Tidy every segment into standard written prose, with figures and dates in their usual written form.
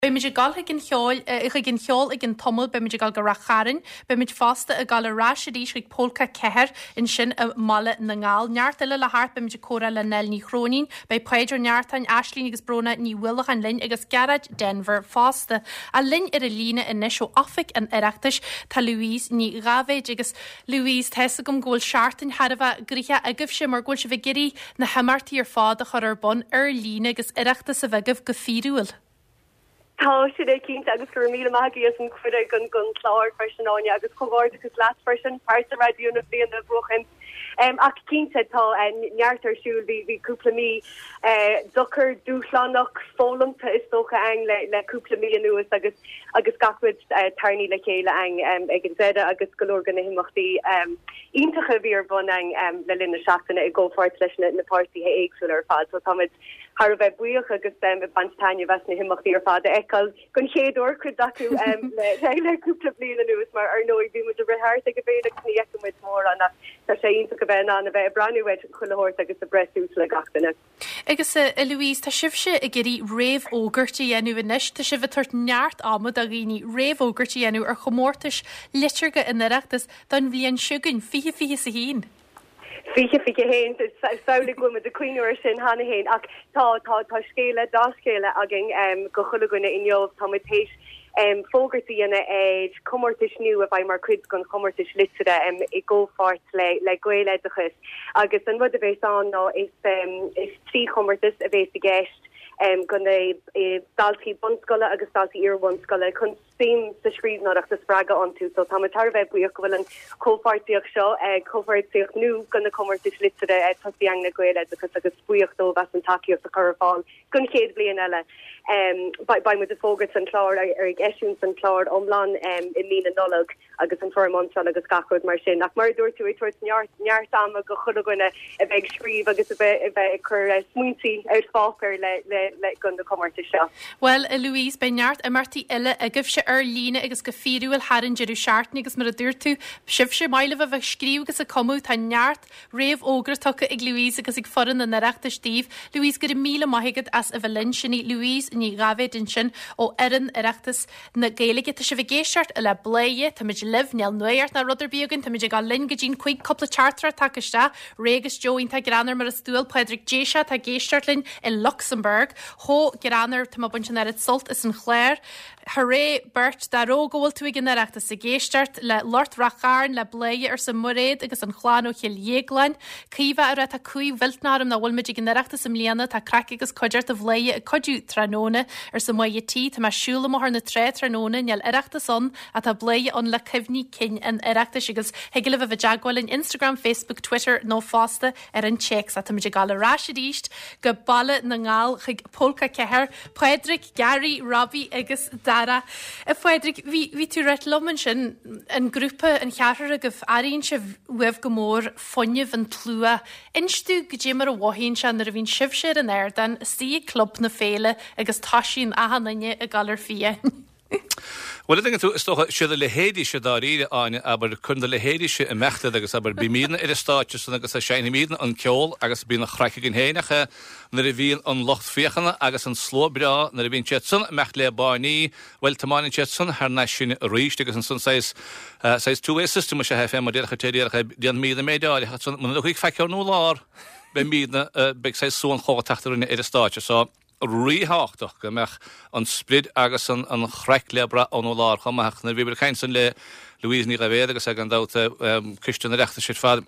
Beimid ag dul chuig an cheoil, chuig an cheol ag an Tummel, beimid ag dul go Rath Chairn, beimid fosta ag dul ar ais arís chuig Pólca 4 ansin i mBaile na nGall. Neart eile le theacht, beimid ag comhrá le Nell Ní Chróinín, beidh Páid Ó Neartáin, Aislínn agus Bróna Ní Uallacháin linn agus Gearóid Denvir fosta. Ach linn ar an líne anois ó Oifig an Oireachtais tá Louise Ní Dháibhéid agus Louise, tá fhios agam go bhfuil seachtain thar a bheith gnoitheach agaibhse mar go bhfuil sibh ag iarraidh na himeachtaí ar fad a chur ar bun ar líne agus Oireachtas a bheith agaibh go fíorúil. Tá sin é cinnte agus go raibh míle maith agaibh as an cuireadh don don chlár freisin Áine agus comhghairdeachas leat freisin, pearsa raidió na bliana a bhuachan. Ach cinnte tá neart ar siúl, bhí bhí cúpla mí deacair, dúshlánach, foghlamtha is dócha againn le le cúpla mí anuas agus agus gach rud tarraingthe le chéile againn ag an deireadh agus go leor de na himeachtaí iontacha a bhí ar bun againn le linn na seachtaine i gcomhpháirt leis na na páirtithe éagsúla ar fad. So táimid thar a bheith buíoch agus ag baint taitneamh as na himeachtaí ar fad a fheiceáil den chéad uair, cuid acu le cúpla bliain anuas mar ar ndóigh bhí muid ag rith thart ag an bhféile agus ní fheiceann muid mórán ach tá sé iontach a bheith in ann a bheith ag breathnú ar chuile shórt agus ag breith suas le gach duine. Agus a Louise, tá sibhse ag iarraidh réamhfhógairt a dhéanamh anois, tá sibh ag tabhairt neart ama do dhaoine réamhfhógairt a dhéanamh ar chomórtais liteartha an Oireachtais don bhliain seo chugainn, 2021. 2021, samhlaigh go bhfuil muid ag cuimhniú air sin cheana féin ach tá, tá, tá scéala, dea-scéala againn go chuile dhuine inniu. Tá muid théis fógairt a dhéanamh ar chomórtais nua a bheidh mar chuid den chomórtas liteartha i gcomhpháirt le, le Gaeloideachas agus an rud a bhéas ann ná is, is trí chomórtas a bhéas i gceist go na daltaí bunscoile agus daltaí iar-bhunscoile chun suim sa scríbhneoireacht a spreagadh iontu so tá muid thar a bheith buíoch go bhfuil an chomhpháirtíocht seo, comhpháirtíocht nua do na comórtais liteartha tosaithe againn le Gaeloideachas agus buíoch dóibh as an tacaíocht a chur ar fáil don chéad bhliain eile. Beidh muid ag fógairt an clár, ar ag eisiúint an clár iomlán i mí na Nollag. agus an foirm iontrála agus gach rud mar sin. Ach mar a dúirt tú, ag tabhairt neart, neart ama go chuile dhuine a bheith ag scríobh agus a bheith, a bheith ag cur smaointe ar pháipéar le, le, le, do na comórtais seo. Bhuel, a Louise, beidh neart imeachtaí eile agaibhse ar líne agus go fíorúil thar an deireadh seachtaine agus mar a dúirt tú, sibhse, maith libh a bheith ag scríobh agus ag cumadh, tá neart réamhfhógra tugtha ag Louise agus ag foireann an Oireachtais daoibh. Louise, go raibh míle maith agat as a bheith linn. Sin í Louise Ní Dháibhéid ansin ó fhoireann Oireachtas na Gaeilge. Tá sibh ag éisteacht le Bladhaire, táimid libh, níl nuacht ná rud ar bith againn, táimid ag dul linn go dtí'n cuig cúpla teachtaireacht tagtha isteach. Ray agus Joe iontach greannmhar mar is dual, Pádraig Déiseach atá ag éisteacht linn i Lucsamburg. Chomh greannmhar, tá mé ag baint an oiread sult as an chlár. Hooray beirt dá raibh go bhfuil tú ag an Oireachtas ag éisteacht le lucht Rath Chairn le Bladhaire arsa Mairéad agus an chlann ó Chill Dhéagláin. Caoimhe a rá tá cumhaidh mhillteanach orm nach bhfuil muid ag an Oireachtas i mbliana tá craic agus cuideachta Bhladhaire ag cuidiú tráthnóna arsa Máire T tá mé ag siúl i mBóthar na Trá tráthnóna níl Oireachtas ann ach tá Bladhaire ann le cuimhní cinn an Oireachtais agus thig libh a bheith i dteagmháil linn Instagram Facebook Twitter nó fosta ar an téacs ach táimid ag dul ar ais arís go Baile na nGall chuig Pólca 4 Pádraig, Gary, Robbie agus Dara. A Phádraig, bhí, bhí tú ag ráit liom ansin, an grúpa, an cheathrar agaibh, airíonn sibh uaibh go mór fuinneamh an tslua. Inis domh goidé mar a mhothaíonn sé nuair a bhíonn sibhse ar an ardán, istigh ag Club na Féile agus toisíonn achan duine ag dul ar fiáin. Bhuel, a dtuigeann tú, is dócha, siad a leithéidí-se dáiríre, Áine, abair, cuireann do leithéidí-se imeacht iad agus, abair, bímidne ar an stáitse san agus seinnimidne an ceol agus bíonn an chraic againn féin ach nuair a bhíonn an lucht féachana agus an slua breá, nuair a bhíonn siad san imeacht le báiní, bhuel, tiomáineann siad san thar n-ais sinn arís agus ansan saghas, saghas two-way system is ea é fé mar déarfadh an té a déarfadh é, déanfaimidne méid áirithe ach ansan muna dtiocfaidh faic ár lár, beimidne, beidh saghas suanchomh ag teacht orainne ar an stáitse so. ríthábhachtach go mbeadh an sprid agus an chraic le brath óna lár chomh maith. Ach nuair a bhíomar ag caint ansan le Louise Ní Dhaibhéad agus gan dabht Coiste an Oireachtais ar fad,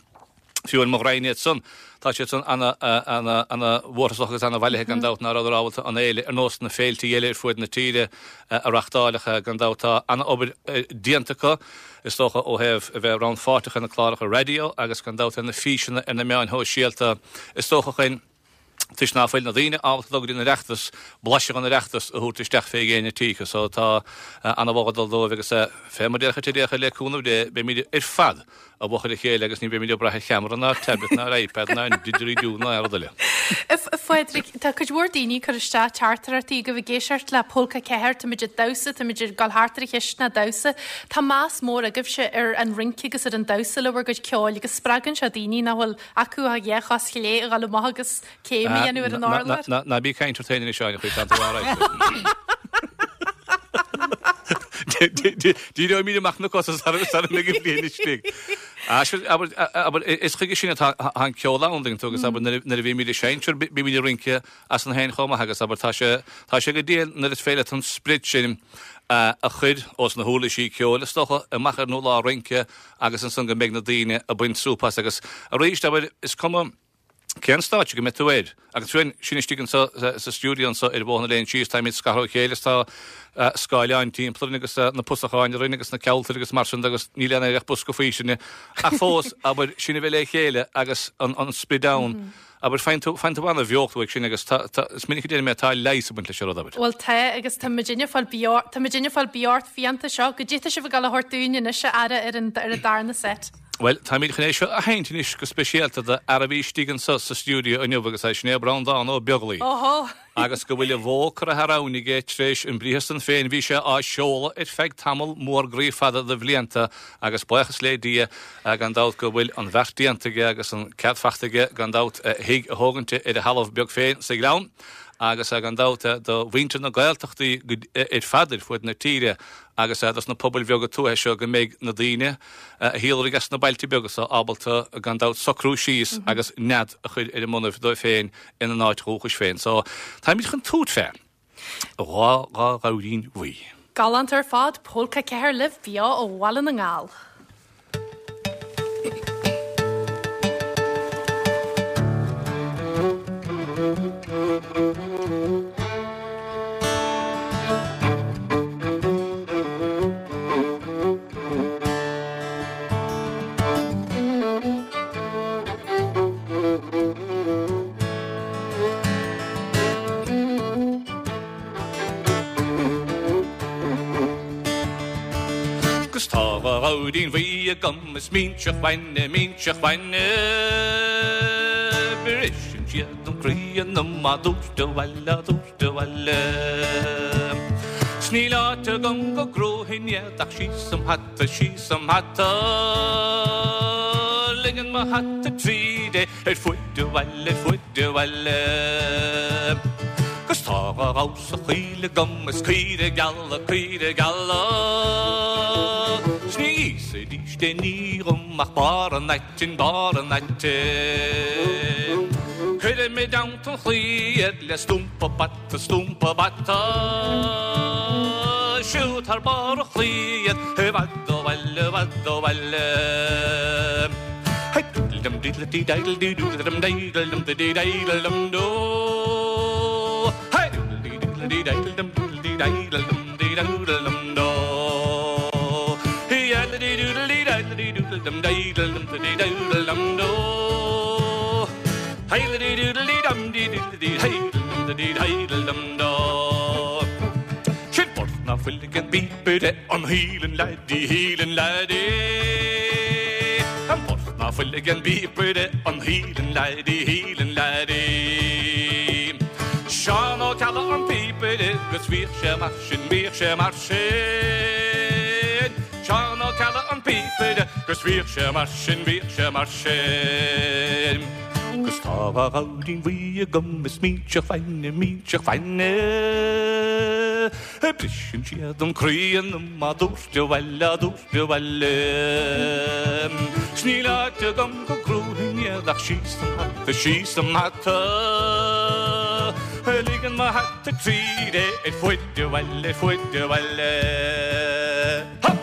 fiú ar mo dhroim iad san, tá siad san ana, ana, ana mhórtasach agus ana bhailithe gan dabht ná rabhadar ábalta an fhéile ar nós na féiltí eile ar fuaid na tíre a reachtáil ach gan dabht tá ana obair déanta acu is dócha ó thaobh a bheith rannpháirteach ar na cláracha raidió agus gan dabht ar na físeanna ar na meáin shóisialta is dócha chun toisc ná fuil na daoine ábalta dul go dtí an Oireachtas, blaiseadh den Oireachtas a thabhairt isteach fé dhéin a dtithe. So tá ana-mholadh ag dul dóibh agus fé mar déarfadh an té déarfadh le cúnamh Dé beimid ar fad i bhfochair a chéile agus ní bheimid ag brath ar cheamara ná ar tablet ná ar iPad ná ar didgeridoo ná aon rud eile. A Phádraig, tá cuid mhór daoine ag cur isteach teachtaireachtaí agaibh ag éisteacht le Pólca 4, táimid ag damhsa, táimid ag dul thart ar an chistin ag damhsa. Tá meas mór agaibhse ar an rince agus ar an damhsa le bhur gcuid ceoil agus spreagann sé daoine nach bhfuil acu ach a chos chlé a dhul amach agus céim a dhéanamh ar an urlár. Ná bí ag caint ort féin anois, Áine, chuig tá tú alright. Díreoimid amach na cosa sara mbeidh an bhliain istigh. Abair, is chuige sin atá an ceol ann, tuigeann tú, agus abair, nuair a bhímid ag seinnt, bímid ag rince as féin chomh maith agus abair, tá sé, tá sé go diail nuair is féidir leat an sprid sin a chur ós na huirlisí ceoil, is dócha, amach ar an urlár rince agus ansan go mbeidh na daoine ag baint súp as agus arís, abair, is cuma cén stáitse go mbeidh tú air. Agus fiú sinn istigh anseo sa stiúideo anseo ar Bhóthar na Léine Síos, táimid scartha ó chéile is tá scáileáin timpeall orainn agus na pusacháin orainn agus na ceoltóirí agus mar sin de agus níl aon ach bosca faoistine. Ach fós, abair, sinn a bheith le chéile agus an sprid ann. Abair, faigheann tú, faigheann tú an-bheocht uaidh sin agus tá, tá, is minic a deirim é, tá leigheas ag baint leis an rud, abair. Bhuel tá, agus tá muidinne ag fáil beo, tá muidinne ag fáil beocht fiánta seo. Goidé tá sibh ag dul a thabhairt dúinn anois, a fheara, ar an, ar an darna set. Bhuel, táimid chun é seo a sheinnt anois go speisialta do fhear a bhí istigh anso sa stiúideo inniu agus é sin é Breandán Ó Beaglaoi. Óhó! Agus go bhfuil a bhó curtha thar abhainn aige tar éis an briathar san féin, bhí sé á seoladh ar feadh tamall mór groí fada de bhlianta agus buíochas le Dia gan dabht go bhfuil an bheart déanta aige agus an cead fachta aige gan dabht a thigh a thógaint ar a thalamh beag féin sa Ghleann agus gan dabht do mhuintir na Gaeltachtaí ar fad ar fuaid na tíre agus dos na pobail bheaga tuaithe seo go mbeidh na daoine a shíolraigh as na bailte beaga so ábalta gan dabht socrú síos agus nead a chur ar a mbonnaibh dóibh féin ina n-áit dhúchais féin. So, táimid chun tabhairt fé dha dha ghabhairín bhuí. Galánta ar fad, Pólca 4 libh beo ó Bhaile na nGall. 'Gus tá dha ghabhairín bhuí agam is minseach bainne, minseach bainne. Briseann siad an croí ionam á dtabhairt abhaile, á dtabhairt abhaile. 'S níl áit agam go gcrúfainn iad ach síos im hata, síos im hata. Ligeann mo hata tríd é ar fuaid an bhaile, ar fuaid an bhaile. 'Gus tá dha ghabhar sa choill agam is caoire geala, caoire geala. 'S ní íosfaidís aon ní dhom ach barr an aitinn, barr an aitinn. Cuirim i dteannta an chlaí iad le stumpa bata, stumpa bata. Siúd thar barr an chlaí iad i bhfad ó bhaile, i bhfad ó bhaile. Hey doodle dum diddle dee diddle dee doodle dum diddle dum dee diddle dum doo. Hey doodle dee diddle dee diddle dum diddle dee diddle dum dee doodle dum doo. Hey diddle dee doodle dee diddle dee doodle dum diddle dum dee doodle dum doo. Hey dee doodle dee dum dee diddle dee diddle dum dee diddle dum doo. Sin port ná fuil ag an bpíopaire an Hielan Laddie, Hielan Laddie. An port ná fuil ag an bpíopaire an Hielan Laddie, Hielan Laddie. Seán Ó Ceallaigh an píopaire 'gus bhíodh sé mar sin, bhíodh sé mar sin. Seán Ó Ceallaigh an píopaire 'gus bhíodh sé mar sin, bhíodh sé mar sin. 'Gus tá dhá ghabhairín bhuí agam is minseach bainne, minseach bainne. Briseann siad an croí ionam á dtabhairt abhaile, á dtabhairt abhaile. 'S níl áit agam go gcrúfainn iad ach síos im hata, síos im hata. Ligeann mo hata tríd é ar fuaid an bhaile, ar fuaid an bhaile. Hop!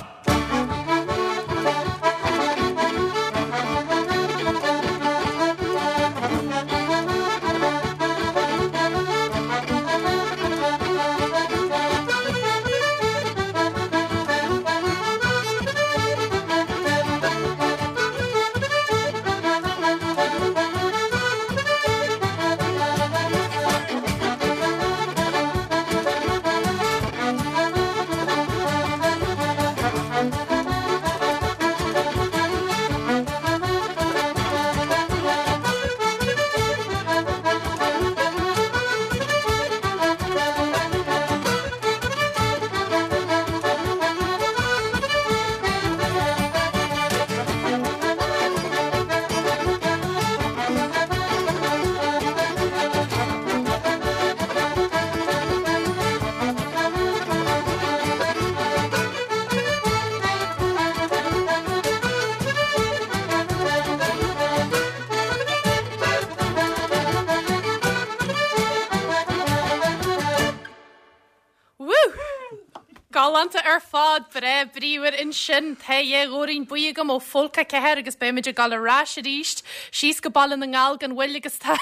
Galánta ar fad, breá bríomhar ansin. Tá a ghoirín buí agam ó Phólca 4 agus beimid ag dul ar ais arís síos go Baile na nGall gan mhoill agus tá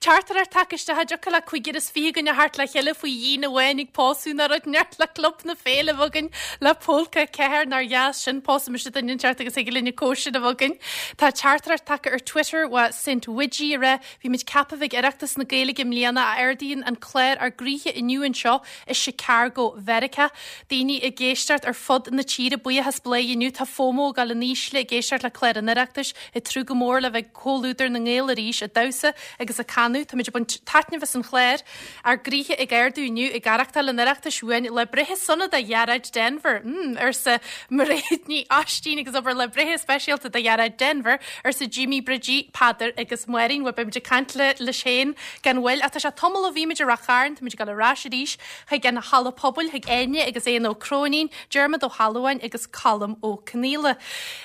teachtaireacht tagtha isteach an dtiocfadh le cúigear is 20 againn a theacht le chéile faoi dhíon amháin ag pósadh nó rud inteacht le Club na Féile a bheith againn le Pólca 4 nár dheas sin pósfaidh mise duine inteacht agus thig linn an cóisir a bheith againn. Tá teachtaireacht tagtha ar Twitter ó Saint Widgie ag rá bhí muid ceaptha bheith ag Oireachtas na Gaeilge i mbliana a ardaíonn an clár ár gcroíthe inniu anseo i Chicago, Mheiriceá. Daoine ag éisteacht ar fud na tíre, buíochas Bladhaire inniu. Tá FOMO ag dul in ísle ag éisteacht le clár an Oireachtais, ag tnúth go mór le bheith i gcomhluadar na nGael arís, ag damhsa agus ag canadh. Táimid ag baint taitneamh as an chlár. Ár gcroíthe ag ardú inniu ag aireachtáil an Oireachtais uainn. Lá breithe sona do Ghearóid Denvir. Mm, arsa Mairéad Ní Oistín agus abair lá breithe speisialta do Ghearóid Denvir, arsa Jimí Bridgie, Peadar agus Máirín. Bhuel, beimid ag caint le leis féin Gan mhoill, ach tá sé tamall ó bhí muid i Rath Chairn, táimid ag dul ar ais arís chuig an Halla Pobail, chuig Áine agus Éanna Ó Cróinín, Diarmuid Ó hAlmhain agus Colm Ó Conghaile.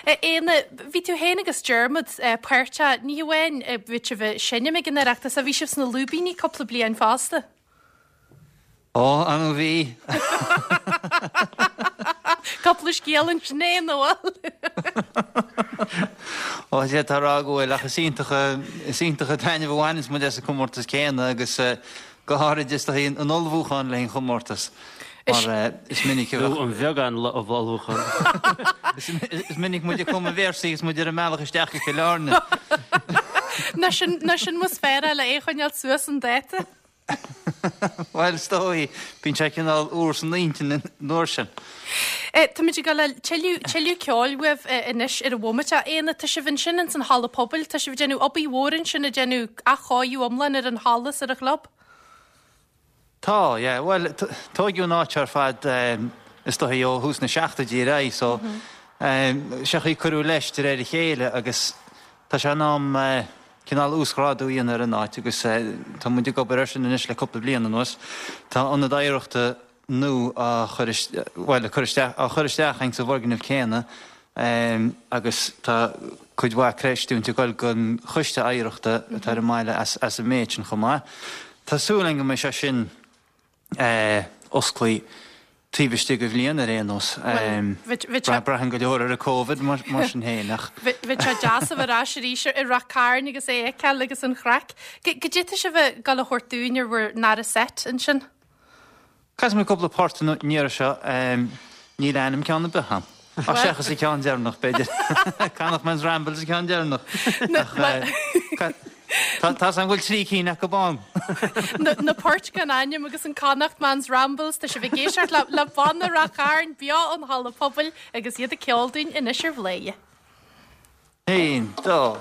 A Éanna, bhí tú féin agus Diarmuid páirteach, ní hamháin bhí sibh ag seinm ag an Oireachtas, ach bhí sibh sna Lúibíní cúpla bliain fosta. Ó, an bhí? Cúpla scéal ansin é, nó bhfuil? Ó, d'fhéadfá a rá go bhfuil, ach is iontach, is iontach an taitneamh a bhaineanns muid as an comórtas céanna agus go háirid is dóigh an ullmhúchán le haghaidh an chomórtais mar is minic a bheadh. Nó an bheagán ullmhúchán. Is minic muid ag cumadh véarsaí agus muid ar an mbealach isteach go Cill Airne. Nó sin, nó sin más fearr é le é a choinneáil suas chun dáta. Bhuel, is dóigh, bíonn sé cineál úr san intinn an uair sin. Táimid ag dul le tuilleadh, tuilleadh ceoil uaibh anois ar an bhomaite. A Éanna, tá sibh ansin ins an halla pobail, tá sibh ag déanamh obair mhór ansin, ag déanamh athchóiriú iomlán ar an halla is ar an chlub. Tá, yeah. Bhuel, tóigeadh an áit ar fad is dóigh ó thús na seachtóidí ar aghaidh so sé an chaoi cuireadh leis de réir a chéile agus tá sé in am cineál uasghrádú a dhéanamh ar an áit agus tá muid ag obair air sin anois le cúpla bliain anuas. Tá ionad oidhreachta nua á chur, bhuel, cur isteach, á chur isteach ins an bhfoirgneamh céanna agus tá cuid mhaith creistiúint ag dul don choiste oidhreachta atá ar an mbaile as an méid sin chomh maith. Tá súil againn go mbeidh sé sin osclaí taobh istigh de bhliain ar aon nós. Braitheann go leor ar an Covid mar sin féin ach. Bheadh sé deas a bheith ar ais arís i Rath Cairn agus é a fheiceáil agus an chraic. Goidé tá sibh ag dul a thabhairt dúinn ar bhur ndara set ansin? Casfaidh mé cúpla port an iarraidh seo. Níl ainm ceann ar bith agam. Ach seachas an ceann deireanach, b'fhéidir. Connacht Man's Rambles an ceann deireanach. Tá 's agam go bhfuil 3 cinn acu ann. Na poirt gan ainm agus an Connacht Man's Rambles, tá sibh ag éisteacht le Banna Rath Chairn beo ón Halla Pobail agus iad ag ceol dúinn anois ar Bhladhaire. 1, 2.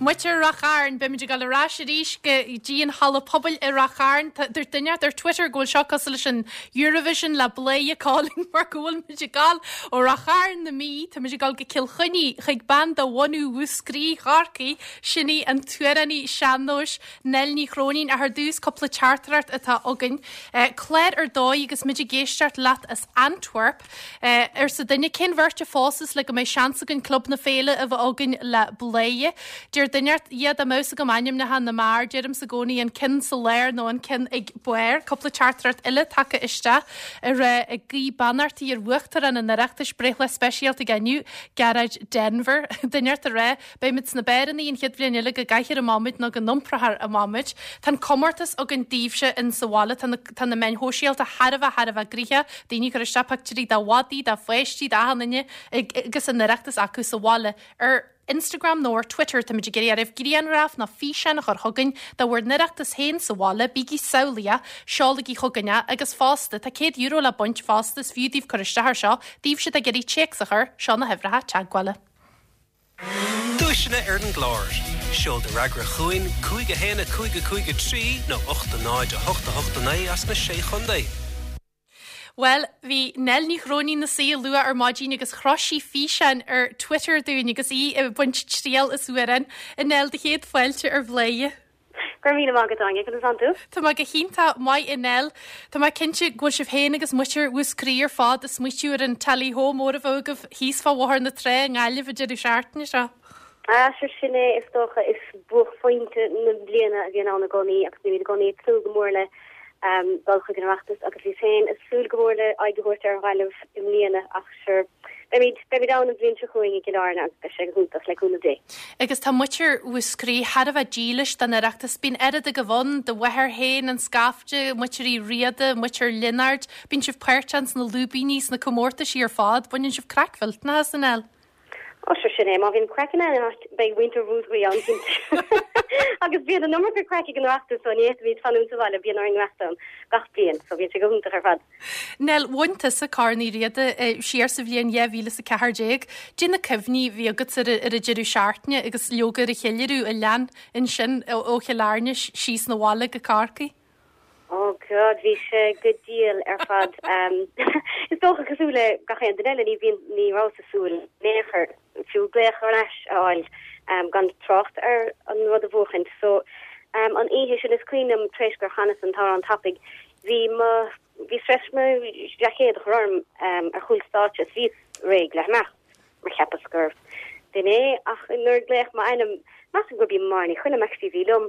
Muintir Ráth Chairn, beimid ag dul ar ais arís go dtí an halla pobail i Ráth Chairn. Dúirt duine ar Twitter go bhfuil seo cosúil leis an Eurovision le Bladhaire Calling mar go bhfuil muid ag dul ó Ráth Chairn na Mí, tá muid ag dul go Cill Chainnigh chuig bean de bhunú Mhúscraí Chorcaí, sin í an t-amhránaí sean-nóis Nell Ní Chróinín. Ach ar dtús, cúpla teachtaireacht atá againn. Clár ar dóigh agus muid ag éisteacht leat as Antwerp. Arsa duine, cén bheirt a phósfas le go mbeidh seans againn Club na Féile a bheith againn le Bladhaire? Deir duine, Dhia dá mbeadh 's agam ainmneacha na mbeár, deirimse i gcónaí an ceann sa lár nó an ceann ag barr. Cúpla teachtaireacht eile tagtha isteach ag rá ag guí beannachtaí ar Uachtarán an Oireachtais, breithlá speisialta aige inniu, Gearóid Denvir. Duine ag rá, Beimid sna beárannaí an chéad bhliain eile go gcaithfear amach muid nó go n-iomprófar amach muid. Tá an comórtas againn daoibhse in sa bhaile. Tá na tá na meáin shóisialta thar a bheith thar a bheith gnoitheach. Daoine ag cur isteach pictiúirí de mhadaí, de pháistí, d'achan duine ag agus an Oireachtas acu sa bhaile. Ar Instagram nó ar Twitter táimid ag iarraidh oraibh grianghraf nó físeán a chur chugainn de bhur n-Oireachtas féin sa bhaile. Bígí samhlaíoch, seolaigí chugainn é agus fosta tá €100 le baint fosta is fiú daoibh cur isteach ar seo. Daoibhse atá ag iarraidh téacs a chur, seo na huimhreacha teagmhála. Duaiseanna ar an gclár. Seol do fhreagra chugainn, 5 1 5 5 3 nó 8 0 8 8 9 as na Sé Chontae. Bhuel, bhí Nell Ní Chróinín ina suí luath ar maidin agus chroch sí físeán ar Twitter dúinn agus í ag baint triail as amhrán. A Nell, do chéad fáilte ar Bhladhaire. Go raibh míle maith agat, Áine. Conas tánn tú? Tá mé go hiontach maith, a Nell. Tá mé cinnte go bhfuil sibh féin agus muintir Mhúscraí ar fad ag smaoitiú ar an Tally Ho mór a bheadh agaibh thíos fá Bhóthar na Trá i nGaillimh an deireadh seachtaine seo. Ah, sure sin é, is dócha. Is buaicphointe na bliana a bhíonn ann i gcónaí agus bímid i gcónaí ag tnúth go mór le dul chuig an Oireachtas agus bhíos féin ag súil go mór le aghaidh a thabhairt ar Ghaillimh i mbliana ach sure, Beimid, beimid ann an bhliain seo chugainn i gCill Airne agus beidh sé go hiontach, le cúnamh Dé. Agus tá muintir Mhúscraí thar a bheith dílis don Oireachtas. Bíonn oiread agaibh ann, do mháthair féin, an scaifte, muintir Uí Riada, muintir Lionáird. Bíonn sibh páirteach sna lúibíní, sna comórtaisí ar fad. Baineann sibh craic mhillteanach as, a Nell. Ó, sure sin é. Má bhíonn craic in aon áit, beidh muintir Mhúscraí ann, cinnte. Agus bíonn an iomarca craic ag an Oireachtas, so ní fhéadfaimid fanúint sa bhaile, bíonn orainn imeacht ann gach bliain, so bíonn sé go hiontach ar fad. Nell, bhain tusa Corn Uí Riada siar sa bhliain 2014. Caidé na cuimhní a bhí agatsa ar an deireadh seachtaine agus leoga ar an cheiliúradh a lean ansin ó Chill Airne síos 'na bhaile go Corcaigh? Oh God, bhí sé go diail ar fad. Is dócha cosúil le gach aon duine eile, ní bhíonn, ní rabhas ag súil in aon chor fiú glaoch ar ais a fháil gan trácht ar an rud a bhuachaint. So an oíche sin is cuimhin liom tar éis gur chanas an t-amhrán tapaidh, Bhí mo, bhíos tar éis mo sheaicéad a chur orm ar chúl stáitse is bhíos réidh le himeacht mar cheapas gur b'in é ach nuair a glaodh m'ainm, measaim gurb í Máire Ní Choilm actually a bhí liom,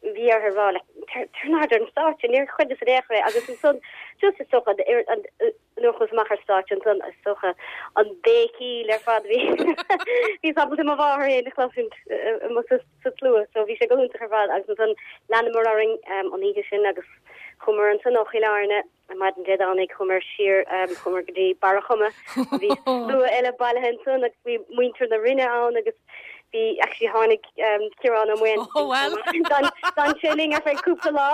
bhí uirthi a rá like tar in airde ar an stáitse, níor chreideas in aon chor é agus ansan just is dócha an, nuair a chuas amach ar stáitse ansan is dócha an béicíl ar fad bhí bhíos ábalta mo mháthair féin a chloisint amuigh sa tslua so bhí sé go hiontach ar fad agus ansan leanamar orainn an oíche sin agus chuamar ansan ó Chill Airne ar maidin Dé Domhnaigh chuamar siar chuamar go dtí Barra Choma bhí slua eile bailithe ansan agus bhí muintir na Rinne ann agus bhí actually tháinig Ciarán Ó Maoin Oh well. D'fhan sé linn ar feadh cúpla lá.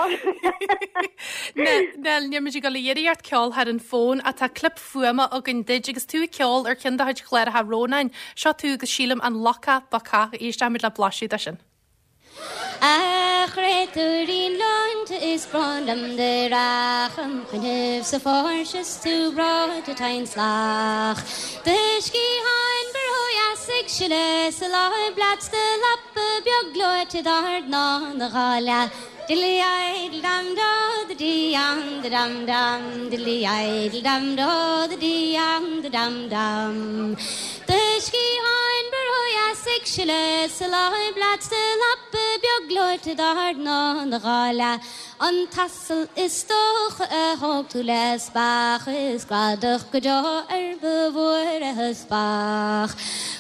Nell, níl muid ag dul a iarraidh ort ceol thar an bhfón ach tá clip fuaime againn duit agus tú ag ceol ar cheann de do chuid chláracha Rónáin. Seo tú agus sílim an Lucach Bacach. Éistfimid le blaiseadh de sin. A chréatúirín leonta is brón liom do dhreach im choinnibh sa pháirc is tú breoite tinn salach. Do sciatháin ba ródheas ag sileadh sa láib leat 's do lapa beag gleoite d'ard ná na gáile. Diddly idle dam do the dee am the dam dam diddly idle dam do the dee am the dam dam. Do sciatháin ba ródheas ag sileadh sa láib leat 's do lapa beag gleoite d'ard ná na gáile. An t-asal is dócha a thóg tú le speach is cladach go deo ar ba mhór a theaspach.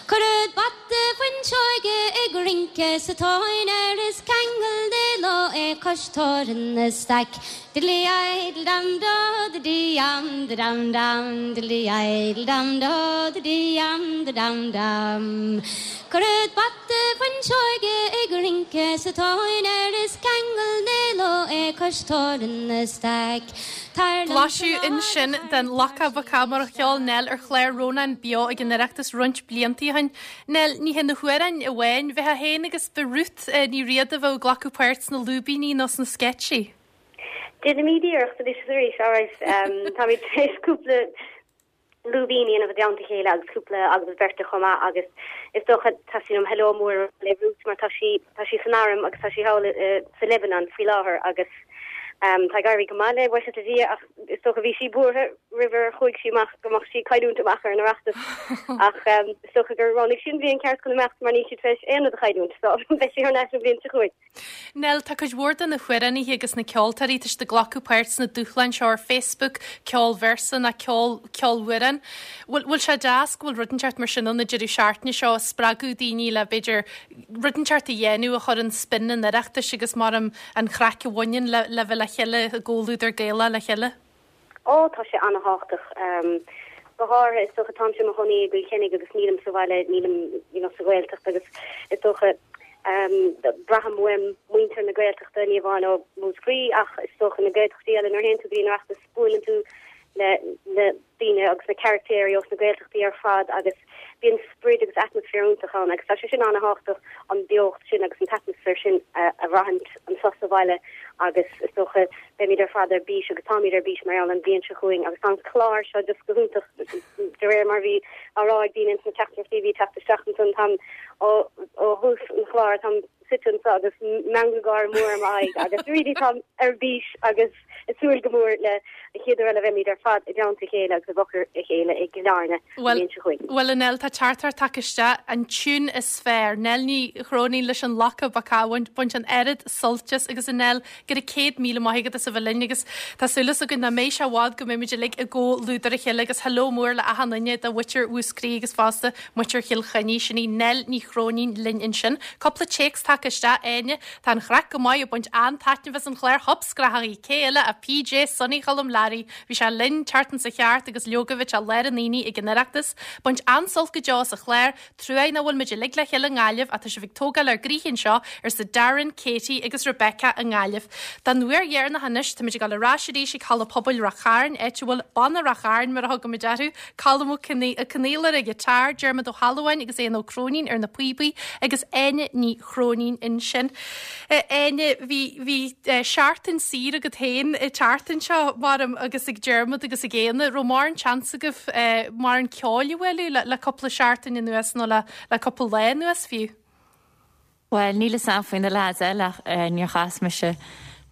Cuiread bata fuinseoige ag rince sa tóin air is ceangal de ló é cois tórann na staic. Diddly idle dam do the dee am the dam dam diddly idle dam do the dee am the dam dam. Cuiread bata fuinseoige ag rince sa tóin air is ceangal de ló é cois tórann na staic. Tar liomsa Blaiseadh ansin den Lacá Bacá mar a cheol Nell ar chlár Rónán Beo ag an Oireachtas roinnt blianta ó shin. Nell, ní hé na hamhráin amháin, bheifeá féin agus ba Ruth Ní Riada a bheadh ag glacadh páirt sna lúibíní nó sna sceitsí. Déanaimid iarracht anois is arís, alright. Táimid tar éis cúpla lúibín a dhéanamh i dteannta a chéile agus cúpla agallamh beirte chomh maith agus is dócha teastaíonn uaim hello mór a rá le Ruth mar tá sí tá sí san arm agus tá sí thall sa Lebanon faoi láthair agus tá ag éirí go maith léi buíochas le Dia ach is dócha bhí sí buartha roimh ar chuaigh sí amach go mbeadh sí ag cailliúint amach ar an Oireachtas ach is dócha gur roghnaigh sí an bhliain ceart chun imeacht mar níl sí tar éis aon rud a chailliúint so beidh sí thar n-ais an bhliain seo chugainn. Nell, tá cuid mhór de na hamhránaithe agus na ceoltóirí, tá siad ag glacadh páirt sna dúshláin seo ar Facebook, ceol véarsa ná ceol, ceolamhrán. Bhfuil, bhfuil sé deas go bhfuil rud inteacht mar sin ann an deireadh seachtaine seo, ag spreagadh daoine le, b'fhéidir, rud inteacht a dhéanamh a chuireann spin an Oireachtais agus mar an, an chraic a bhaineann le, le bheith le chéile i gcomhluadar Gaelach le chéile? Ó, tá sé an-thábhachtach. Go háirithe, is dócha, táimse i mo chónaí i gCill Chainnigh agus nílim sa bhaile, nílim, you know, sa Ghaeltacht agus is dócha, braithim uaim muintir na Gaeltachta, ní amháin ó Mhúscraí ach is dócha na Gaeltachtaí eile, nuair a théann tú go dtí an Oireachtas buaileann tú le na daoine agus na caractéirí ós na Gaeltachtaí ar fad agus bíonn sprid agus atmaisféar iontach ann agus tá sé sin an-thábhachtach, an beocht sin agus an t-atmaisféar sin a bhraithint anseo sa bhaile agus is dócha beimid ar fad ar bís agus táimid ar bís mar gheall an bhliain seo chugainn agus tá an clár seo just go hiontach de réir mar bhí á rá ag daoine ins na teachtaireachtaí a bhí ag teacht isteach ansan táim ó ó thús an chláir táim suite anseo agus meangadh gáire mór ar m'aghaidh agus really táim ar bís agus ag súil go mór le an chéad uair eile a bheimid ar fad i dteannta a chéile agus i bhfochair a chéile i gCill Airne an bhliain seo chugainn. Bhuel, a Nell, tá teachtaireacht tagtha isteach, an tiún is fearr, Nell Ní Chróinín leis an Lacha Bacach, baint an oiread suilt as agus a Nell, go raibh 100,000 maith agat as a bheith linn agus tá súil againn nach mbeidh sé i bhfad go mbeimid uilig i gcomhluadar a chéile agus hello mór le achan duine de mhuintir Mhúscraí agus fosta muintir Chill Chainnigh. Sin í Nell Ní Chróinín linn ansin. Cúpla téacs tagtha isteach, Áine, Tá an chraic go maith ag baint an-taitneamh as an chlár hopscrathachaí, cé eile ach PJ Sonny Choilm Learaí. Bhí sé linn tseachtain seo chuaigh thart agus leoga bhí sé i lár an aonaigh ag an Oireachtas. Baint an-sult go deo as an chlár. Truaigh nach bhfuil muid uilig le chéile i nGaillimh ach tá sibh ag tógáil ár gcroíthe anseo, arsa Darren, Katie agus Rebecca i nGaillimh. Don uair dheireanach anois, táimid ag dul ar ais arís ag Halla Pobail Rath Chairn, áit a bhfuil Banna Rath Chairn mar a thugaimid orthu, Colm Ó Conaola ar an ghiotár, Diarmuid Ó hAlmhain agus Éanna Ó Cróinín ar na píobaí agus Áine Ní Chróinín ansin. Áine, bhí, bhí seachtain saor agat féin an tseachtain seo, maram, agus ag Diarmuid agus ag Éanna. Raibh mórán seans agaibh mórán ceoil a bhualadh le, le cúpla seachtain anuas nó le, le cúpla lá anuas fiú? Bhuel, níl 'fhios a'm faoi na leaids eile ach níor chas mise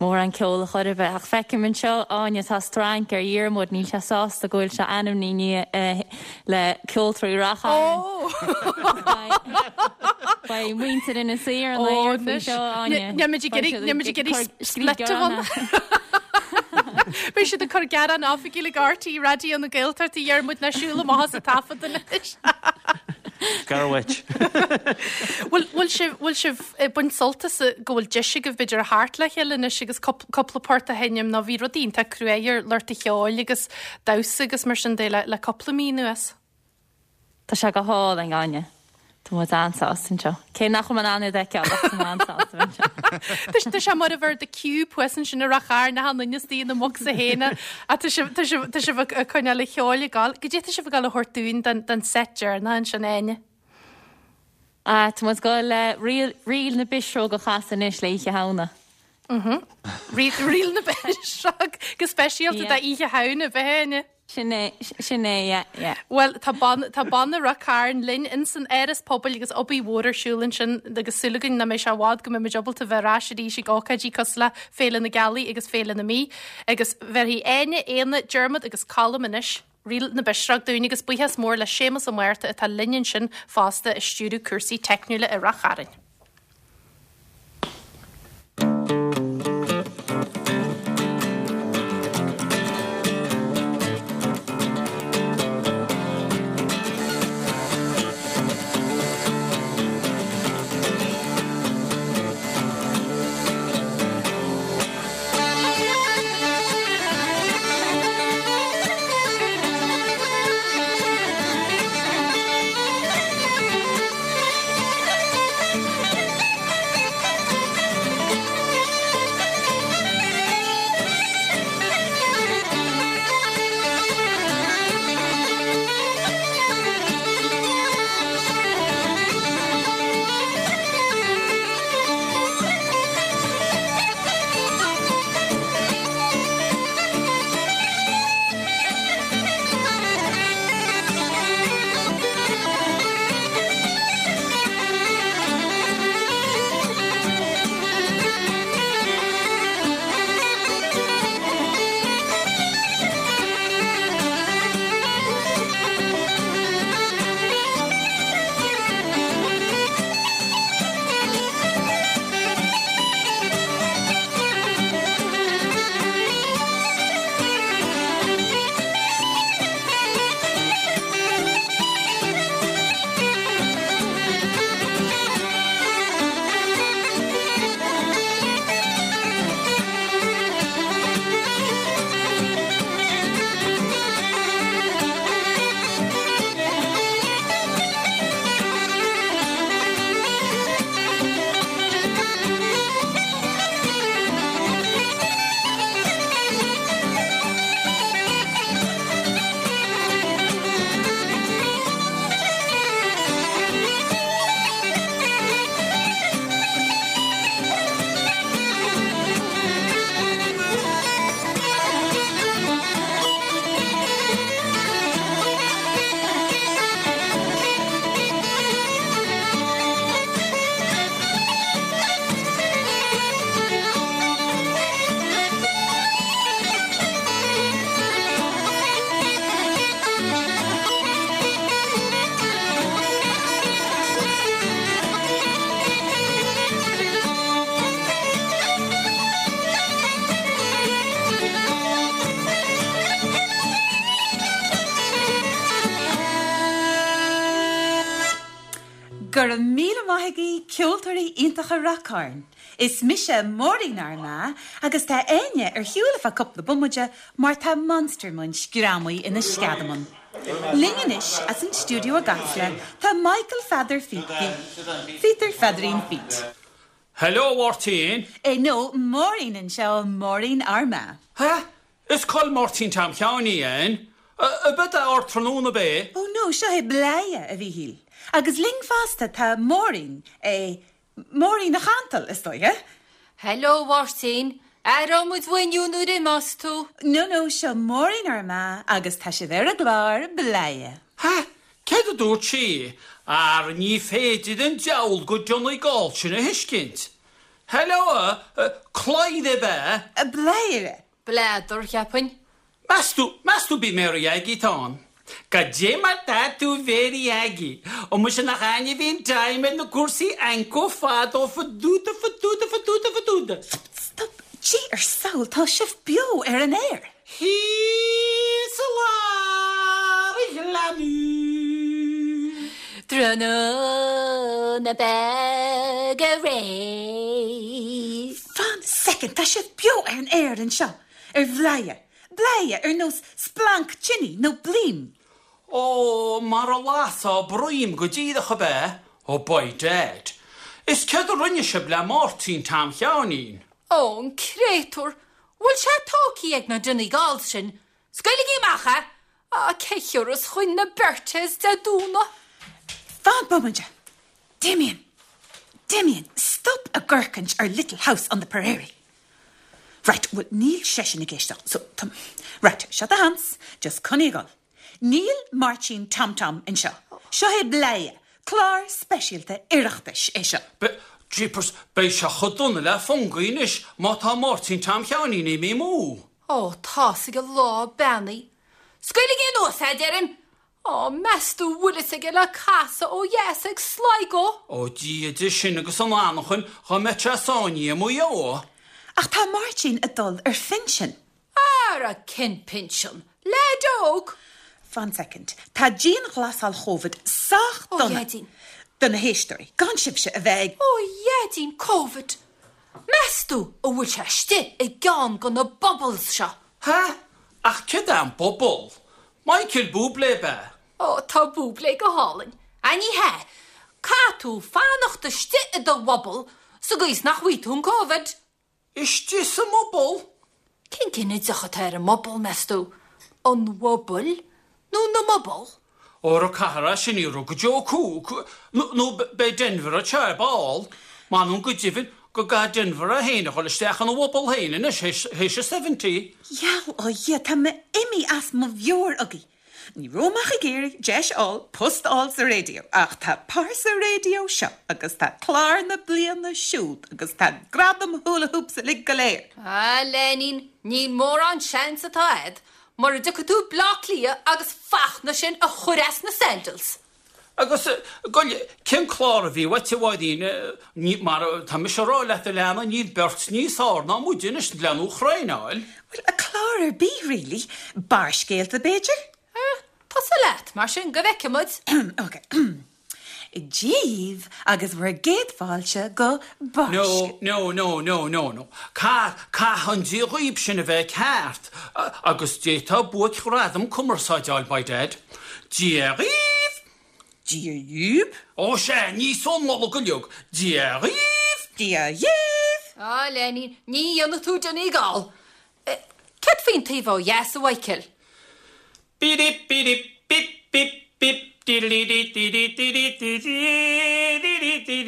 mórán ceoil a chor ar bith. Ach feicim anseo, Áine, tá strainc ar Dhiarmuid, níl sé sásta go bhfuil sé ainmnithe le Ceoltóirí Rath Chairn. Beidh muintir Inis Oírr ina aer faoi seo, Áine. Níl muid ag iarraidh, níl muid ag iarraidh split a bhunú. Beidh siad ag cur gearán oifigiúil ag RTÉ Raidió na Gaeltachta, a Dhiarmuid, ná siúl amach as an taifead anois. Gar dhuit. Bhfuil, bhfuil sibh, bhfuil sibh ag baint sult as go bhfuil deis agaibh b'fhéidir a theacht le chéile anois agus cúpla port a sheinm nó bhí rudaí iontach cruaidh ar lucht an cheoil agus damhsa agus mar sin de le, le cúpla mí anuas. Tá sé go hálainn, Áine. Tá muid an-sásta anseo. Cé nach bhfuil mé in ann iad a fheiceáil ach tá mé an-sásta bheith anseo. Tá sé mar a bheadh The Cube thuas ansin i Rath Chairn achan duine istigh ina mbocsa féin ach tá sibh, tá sibh, tá sibh ag coinneáil an cheoil ag gabháil. Goidé tá sibh ag gabháil a thabhairt dúinn don, don set deireanach ansin, Áine? Ah, tá muid ag gabháil le Ríl, Ríl na bPisreog a chasadh anois le Oíche Shamhna. Mhm. Ríl, Ríl na bPisreog go speisialta Yeah. d'Oíche Shamhna, ab ea, Áine? Sin é, sin é, yeah, yeah. Bhuel, tá banna, tá banna Rath Cairn linn ins an Áras Pobail agus obair mhór ar siúl ansin agus súil againn nach mbeidh sé i bhfad go mbeidh muid ábalta bheith ar ais arís ag ócáidí cosúil le Féile na Gealaí agus Féile na Mí. Agus bheirfidh Áine, Éanna, Diarmuid agus Colm anois Ríl na bPisreog dúinn agus buíochas mór le Séamus Ó Márta atá linn ansin fosta ag stiúradh cúrsaí teicniúla i Rath Chairn. Go raibh míle maith agaibh, ceoltóirí iontacha Rath Cairn. Is mise Máirín Armagh agus tá Áine ar shiúl ar feadh cúpla bomaide mar tá Monster Munch greamaithe ina sceadamán. Linn anois as an stiúideo i gCasla tá Michael Pheadair Phíotair Pheadairín Phete. Hello, a Mháirtín. Eh no, Máirín anseo, Máirín Armagh. Hah? Is col Máirtín Tom Sheáin í, Ann. Ab ea Ardtráthnóna ab é? Oh no, seo é Bladhaire, a Mhíchíl. Agus linn fosta tá Máirín, eh, Máirín a' Chantail, is dóiche. Hello, a Mháirtín. Aireoidh muid uainn inniu nuair a imeos tú. No, no, seo Máirín Armagh agus tá sibh ar an gclár Bladhaire. Ha! Céard a dúirt sí? Ara ní féidir an diabhal go Donegal sin a thuiscint. Hello, a, Clyde ab ea? Bladhaire. Bladar, cheapfainn. Meas tú, meas tú bí Mary Aggie atá ann? Goidé mar tá tú Mary Aggie? Ó muise nach Áine a bhíonn time ar na cúrsaí anco fadó faduda faduda faduda faduda. Stop, stop, Dia ár sábháil, tá sibh beo ar an aer! Thíos i lár an ghleanna. Tráthnóna beag aréir. Fan soicind, tá sibh beo ar an aer anseo ar Bhladhaire, Bladhaire ar nós splanc tine nó blím. Ó, mar a lasfá broim go díreach ab ea? Ó by dad. Is céard a rinne sibh le Máirtín Tom Sheáinín? Ó, an créatúr! Bhfuil sé tógthaí ag na Donegals sin? Scaoiligí amach é! Á, cé thiúrfas chugainn na Bertes Dé Domhnaigh? Fan bomaite! Damien! Damien, stop ag amharcaint ar Little House on the Prairie! Right, bhuel, níl seisean ag éisteacht, so, tá, right, seo do sheans, just coinnigh ag dul. Níl Máirtín Tom Tom anseo. Seo é Bladhaire, clár speisialta Oireachtais é seo. Be, jeepers, beidh sé chomh dona le fungi anois má tá Máirtín Tom Sheáinín imithe amú. Ó, tá's ag an lá beannaithe. Scaoiligí anuas é, deirim! Á, meas tú bhfuil fhios aige le casadh ó dheas ag Sligo? Ó, Dia de sin agus an anachain dhá mbeadh sé sáinnithe i Maigh Eo. Ach tá Máirtín ag dul ar phinsean. Ara, cén pinsean? Leaid óg? Fan soicind. Tá dianghlasáil Chóivid sách Ó, dona Dhaidín. do na héisteoirí, gan sibhse a bheith ag. Ó, Dhaidín, Covid! Meas tú an bhfuil sé istigh i gceann de na bubbles seo? Ha? Ach céard é an bubble? Michael Bublé ab ea? Ó, tá Bublé go hálainn. Á, ní hea. Caithfidh tú fanacht istigh i do bhubble sa gcaoi is nach bhfaighidh tú an Covid. Istigh sa mbubble? Cén ginideach atá ar an mbubble, meas tú? An bhubble nó na mbubble? Óra caithfear é sin a fhiafraí go Joe Cooke, nó beidh Denvir anseo ar ball. M'anam go deimhin go gcaithfidh Denvir é féin a dhul isteach ina bhubble féin anois théis a seventy. Gheall ó Dhia, tá mé imithe as mo mheabhair agaibh. Ní raibh mé ach ag iarraidh deis a fháil post a fháil sa raidió ach tá pearsa raidió seo agus tá clár na bliana siúd agus tá gradam hula hoops uilig go léir. A Leinín, níl mórán seans atá a'd mura dtiocfaidh tú Bleá Cliath agus Fachtna sin a chur as na sandals. Agus, goil, cén clár a bhí uait, a Mháirín? Ní, mar tá mise a rá leat, a leana, níl beirt níos fearr ná muide anois lena thraenáil. Bhuel, a clár ar bith, really. Barrscéalta, b'fhéidir? Eh, tosaigh leat, mar sin, go bhfeice muid. Ok. Dia dhaoibh agus bhur gcéad fáilte go Barrscéalta. No, no, no, no, no, no. Caith, caithfidh an Dia dhaoib sin a bheith ceart, agus d'fhéadfá buaic-ghradam cumarsáide a fháil, by dad. Dia dhaoibh! Dia dhaoib! Ó sea, níos ón Nollaig uilig. Dia dhaoibh! Dia dhaoibh! Á, Lenny, ní dhéanfaidh tú Donegal. Céard faoin taobh ó dheas, a Mhichael? Bídip bídip bip bip bip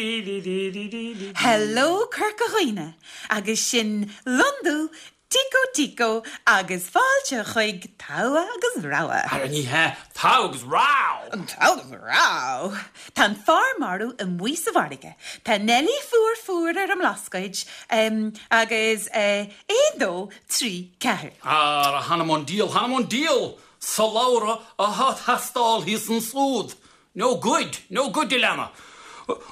diddly-dee-dee-dee-dee-dee-dee-dee-dee-dee-dee-dee-dee-dee-dee. Hello Corca Dhuibhne agus sin Londú Tico Tico agus fáilte chuig Togha agus Rogha. Ara ní hea, Togha agus Row! Togha agus Row! Tá an fear marbh amuigh sa bhfarraige, tá Nellie fuar fuar ar an mBlascaod, em, agus eh, aon dó, trí, ceathair. Ara, th'anam 'on diabhal, th'anam 'on diabhal! Slabhra athá teastáil thíos ansúd! No good, no good, a leana.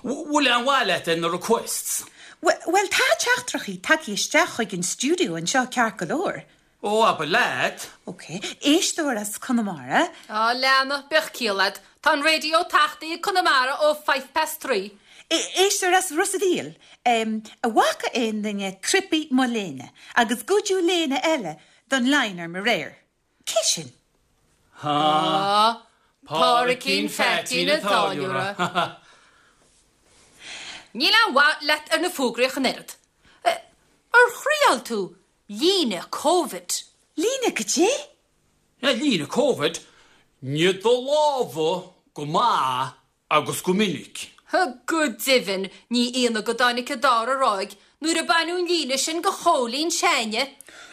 Bhfuil aon mhaith leat ar na requests? Bhuel, tá teachtaireachtaí tagtha isteach chuig an stiúideo anseo ceart go leor. Ó, abair leat. Ok, éisteoir as Conamara. Á, leana, bíodh ciall a'd. Tá an radio tachtaí i Conamara ó five past three. Éisteoir as Ros a' Mhíl, an bhfaca aon duine cnaipí mo léine agus goideadh léine eile don line orm aréir. Cé sin? Há, Pádraicín Pheaitín an táilliúra. Níl aon mhaith leat ar na fógraí ach an oiread. Ar thriáil tú líne Covid? Líne goidé? Líne Covid? Nigh do lámha go maith agus go minic. Go deimhin, ní ionadh go dtáinig an dara ráig nuair a baineadh an líne sin go Chóilín s'a'inne.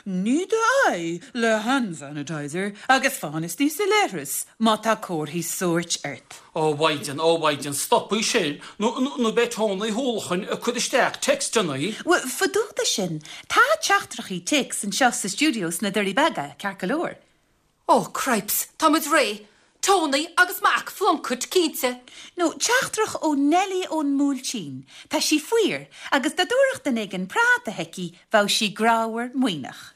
Nigh d'aghaidh le hand sanitizer agus fan istigh sa leithreas má tá comharthaí sóirt ort. Ó a Mhaighdean, ó a Mhaighdean, stopaigí sin nó beidh Tony Uí hUallacháin ag cur isteach textannaí. Bhuel, fá dtaobh de sin, tá teachtaireachtaí téacs anseo sa stiúideo sna Doirí Beaga, ceart go leor. Ó, cripes, tá muid réidh. Tony agus mac Phlunkett, cinnte. Nó teachtaireacht ó Nellie ón mBuailtín. Tá sí fuar, agus dá dtabharfadh duine éigin práta chuici, bheadh sí grámhar maoithneach.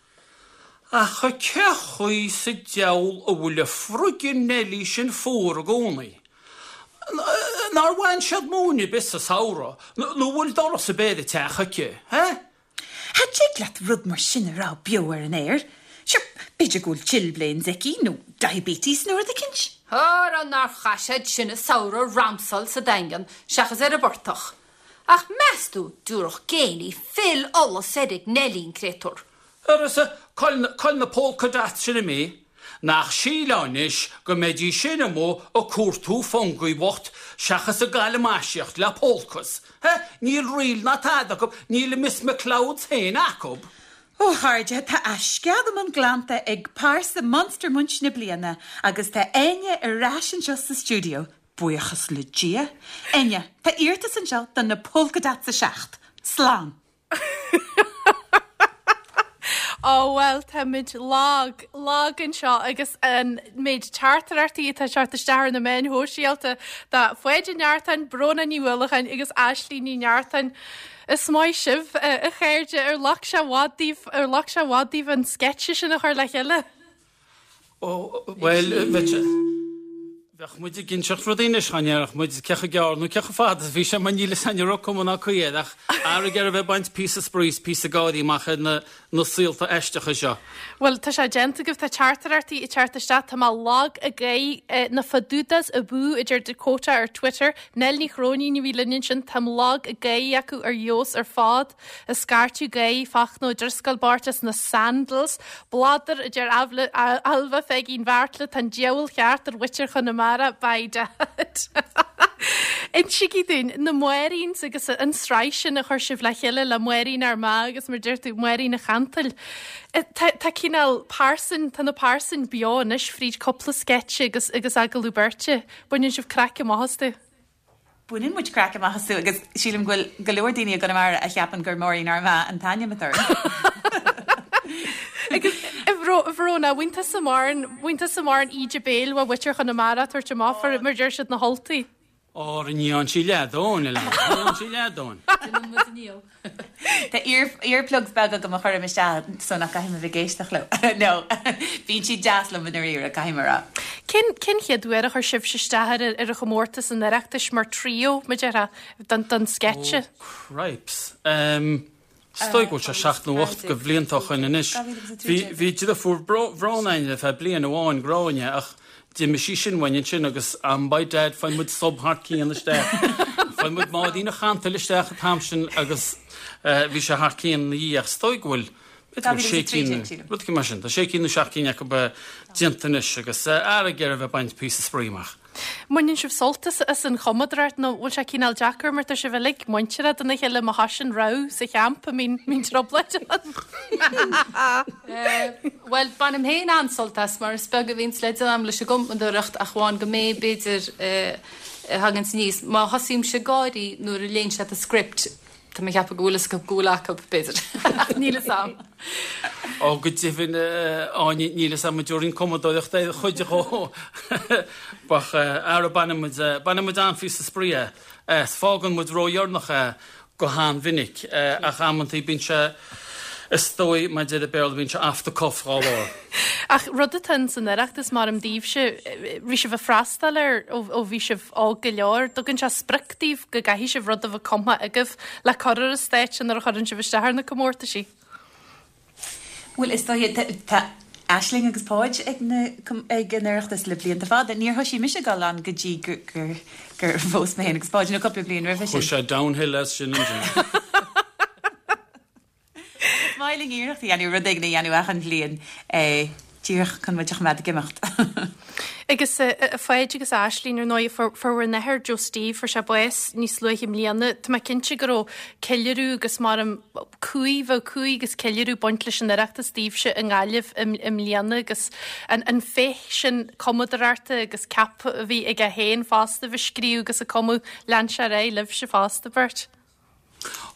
Ach cé chaoi sa diabhal a bhfuil an friggin Nellie sin fuar i gcónaí? Nár bhain siad móin ar bith sa samhradh, nó an bhfuil doras ar bith ar an teach aici, he? Cha dtig leat rud mar sin a rá beo ar an aer. Sure, b'fhéidir go bhfuil chilblains aici nó diabetes nó rud eicínt. Ara nár chaith siad sin an samhradh ramsáil sa Daingean seachas ar an bportach. Ach meas tú dtabharfadh géiní fill ola soir ag Neilí an créatúr. Arsa, cá bhfuil na polka dots sin imithe? Nach sílfeá anois go mbeidís sin amuigh ag cuartú Fungie bhocht seachas ag galamaisíocht le polkas. He, níl ríl ná tada acu, níl a Miss McLeods féin acu. Ó a chairde, tá a sceadamán glanta ag pearsa Monster Munch na bliana agus tá Áine ar ais anseo sa stiúideo, buíochas le Dia. Áine, tá iarratas anseo do na Polka Dots 7. Slán! Ó bhuel, táimid lag, lag anseo agus an méid teachtaireachtaí atá ag teacht isteach ar na meáin shóisialta do Pháid Ó Neartáin, Bróna Ní Uallacháin agus Aisling Ní Neartáin. Is maith sibh, a chairde, ar ghlac sé i bhfad daoibh, ar ghlac sé i bhfad daoibh an sceitse sin a chur le chéile? Ó, bhuel, bheadh muid ag inseacht rudaí anois dá ndéarfadh muid cé chomh gearr nó cé chomh fada is a bhí sé mar níl fhios a'inn an raibh cuma ná caoi air ach ara ag iarraidh a bheith ag baint píosa spraoi is píosa gáirí amach ar na na saolta aisteacha seo. Bhuel, tá sé déanta agaibh, tá teachtaireachtaí ag teacht isteach, tá mé lag ag gáire, na Fadudas abú, a deir Dakota ar Twitter, Nell Ní Chróinín a bhí linn ansin, táim lag ag gáire acu ar fheabhas ar fad. Ag scairteadh gáire Fachtna Ó Drisceoil beirt as na Sandals. Bladar, a deir Ailbhe Pheigín Bheartla, tá an diabhal ceart ar mhuintir Chonamara, by dad. Insígí dúinn, na Máiríns agus an tsraith sin a chuir sibh le chéile le Máirín Ár Mbeatha agus mar a deir tú, Máirín an Chantail. Tá tá cineál pearsain, tá na pearsain beo anois fríd cúpla sceitse agus agus agallamh beirte. Baineann sibh craic amach astu. Baineann muid craic amach astu agus sílim go bhfuil go leor daoine i gConamara a cheapann gur Máirín Ár Mbeatha an t-ainm atá orm. Agus a Bhróna, bhain tusa mórán, bhain tusa mórán íde béil ó mhuintir Chonamara ag tabhairt amach mar a deir siad na hUltaigh. Óra ní fhaigheann sí leath dóthain, a lean, ní fhaigheann sí leath dóthain. Déanann muid inniu. Tá earplugs beaga agam a chuirim isteach so nach gcaithfidh mé bheith ag éisteacht leo. No, bíonn siad deas liom i ndáiríre, caithfidh mé a rá. Cén, cén chéad uair a chuir sibhse isteach ar, ar an chomórtas an Oireachtais mar trio, mar a déarfá, don, don sceitse? Oh, cripes. Um, is dóigh go bhfuil sé seacht nó ocht de bhlianta ó shoin anois. Bhí, bhí deirfiúr Bhróna againn ar feadh bliain amháin, Gráinne, ach D'imigh sí sin uainn ansin agus am by dad faigheann muid sub thar cionn isteach. Faigheann muid Máirín an Chantail isteach an t-am sin agus bhí sé thar cionn ina dhiaidh ach is dóigh go bhfuil b'fhéidir go bhfuil sé cinn, rud éigin mar sin. Tá sé cinn nó seacht gcinn acu déanta anois agus ara ag iarraidh a bheith ag baint píosa spraoi amach. Mbaineann sibh sult as an chumadóireacht nó bhfuil sé cineál deacair mar tá sibh uilig muinteartha dona chéile má thosaíonn rogha sa champa mbíonn mbíonn trioblóid ann. Bhuel, bainim féin an-sult as mar is beag a bhíonns le déanamh leis an gcumadóireacht ach amháin go mbeidh, b'fhéidir, a thaganns aníos. Má thosaímse ag gáirí nuair a léann siad an script, Tá mé ag ceapadh go bhfuil fhios acu go bhfuil acu, b'fhéidir. Ach níl fhios a'm. Ó, go deimhin, Áine, níl fhios a'm an dtabharfainn cumadóireacht ar chuid dhó. Ach ara baineann muid, baineann muid an-phíosa spraoi as. Fágann muid ródheireanach é go han-mhinic, ach amantaí bíonn sé. Is dóigh, mar a deir an Béarla, bíonn sé off the cuff dhá bharr. Ach rud atá ins an Oireachtas, maram daoibhse, raibh sibh ag freastal air ó bhí sibh óg go leor, dtugann sé sprioc daoibh go gcaithfidh sibh rud a bheith cumtha agaibh le cur ar an stáitse nuair a chuireann sibh isteach ar na comórtaisí? Bhuel, is dóigh, tá Aisling agus Páid ag na, ag an Oireachtas le blianta fada. Níor thoisigh mise ag dul ann go dtí gur, gur, gur phós mé féin agus Páid, nó cúpla bliain roimhe sin. Chuaigh sé downhill as sin ansin. Is maith linn iarracht a dhéanamh, rud éigin a dhéanamh achan bhliain, díreach chun muid a choimeád ag imeacht. Agus a Pháid agus a Aisling, ar ndóigh, fuair bhur n-athair, Joe Steve, fuair sé bás níos luaithe i mbliana. Tá mé cinnte go raibh ceiliúradh agus maram cumhaidh, bheadh cumhaidh agus ceiliúradh ag baint leis an Oireachtas daoibhse i nGaillimh i mbliana agus an féith sin cumadóireachta agus ceap a bhí aige féin fosta a bheith ag scríobh agus ag cumadh, lean sé ar aghaidh libhse fosta, beirt.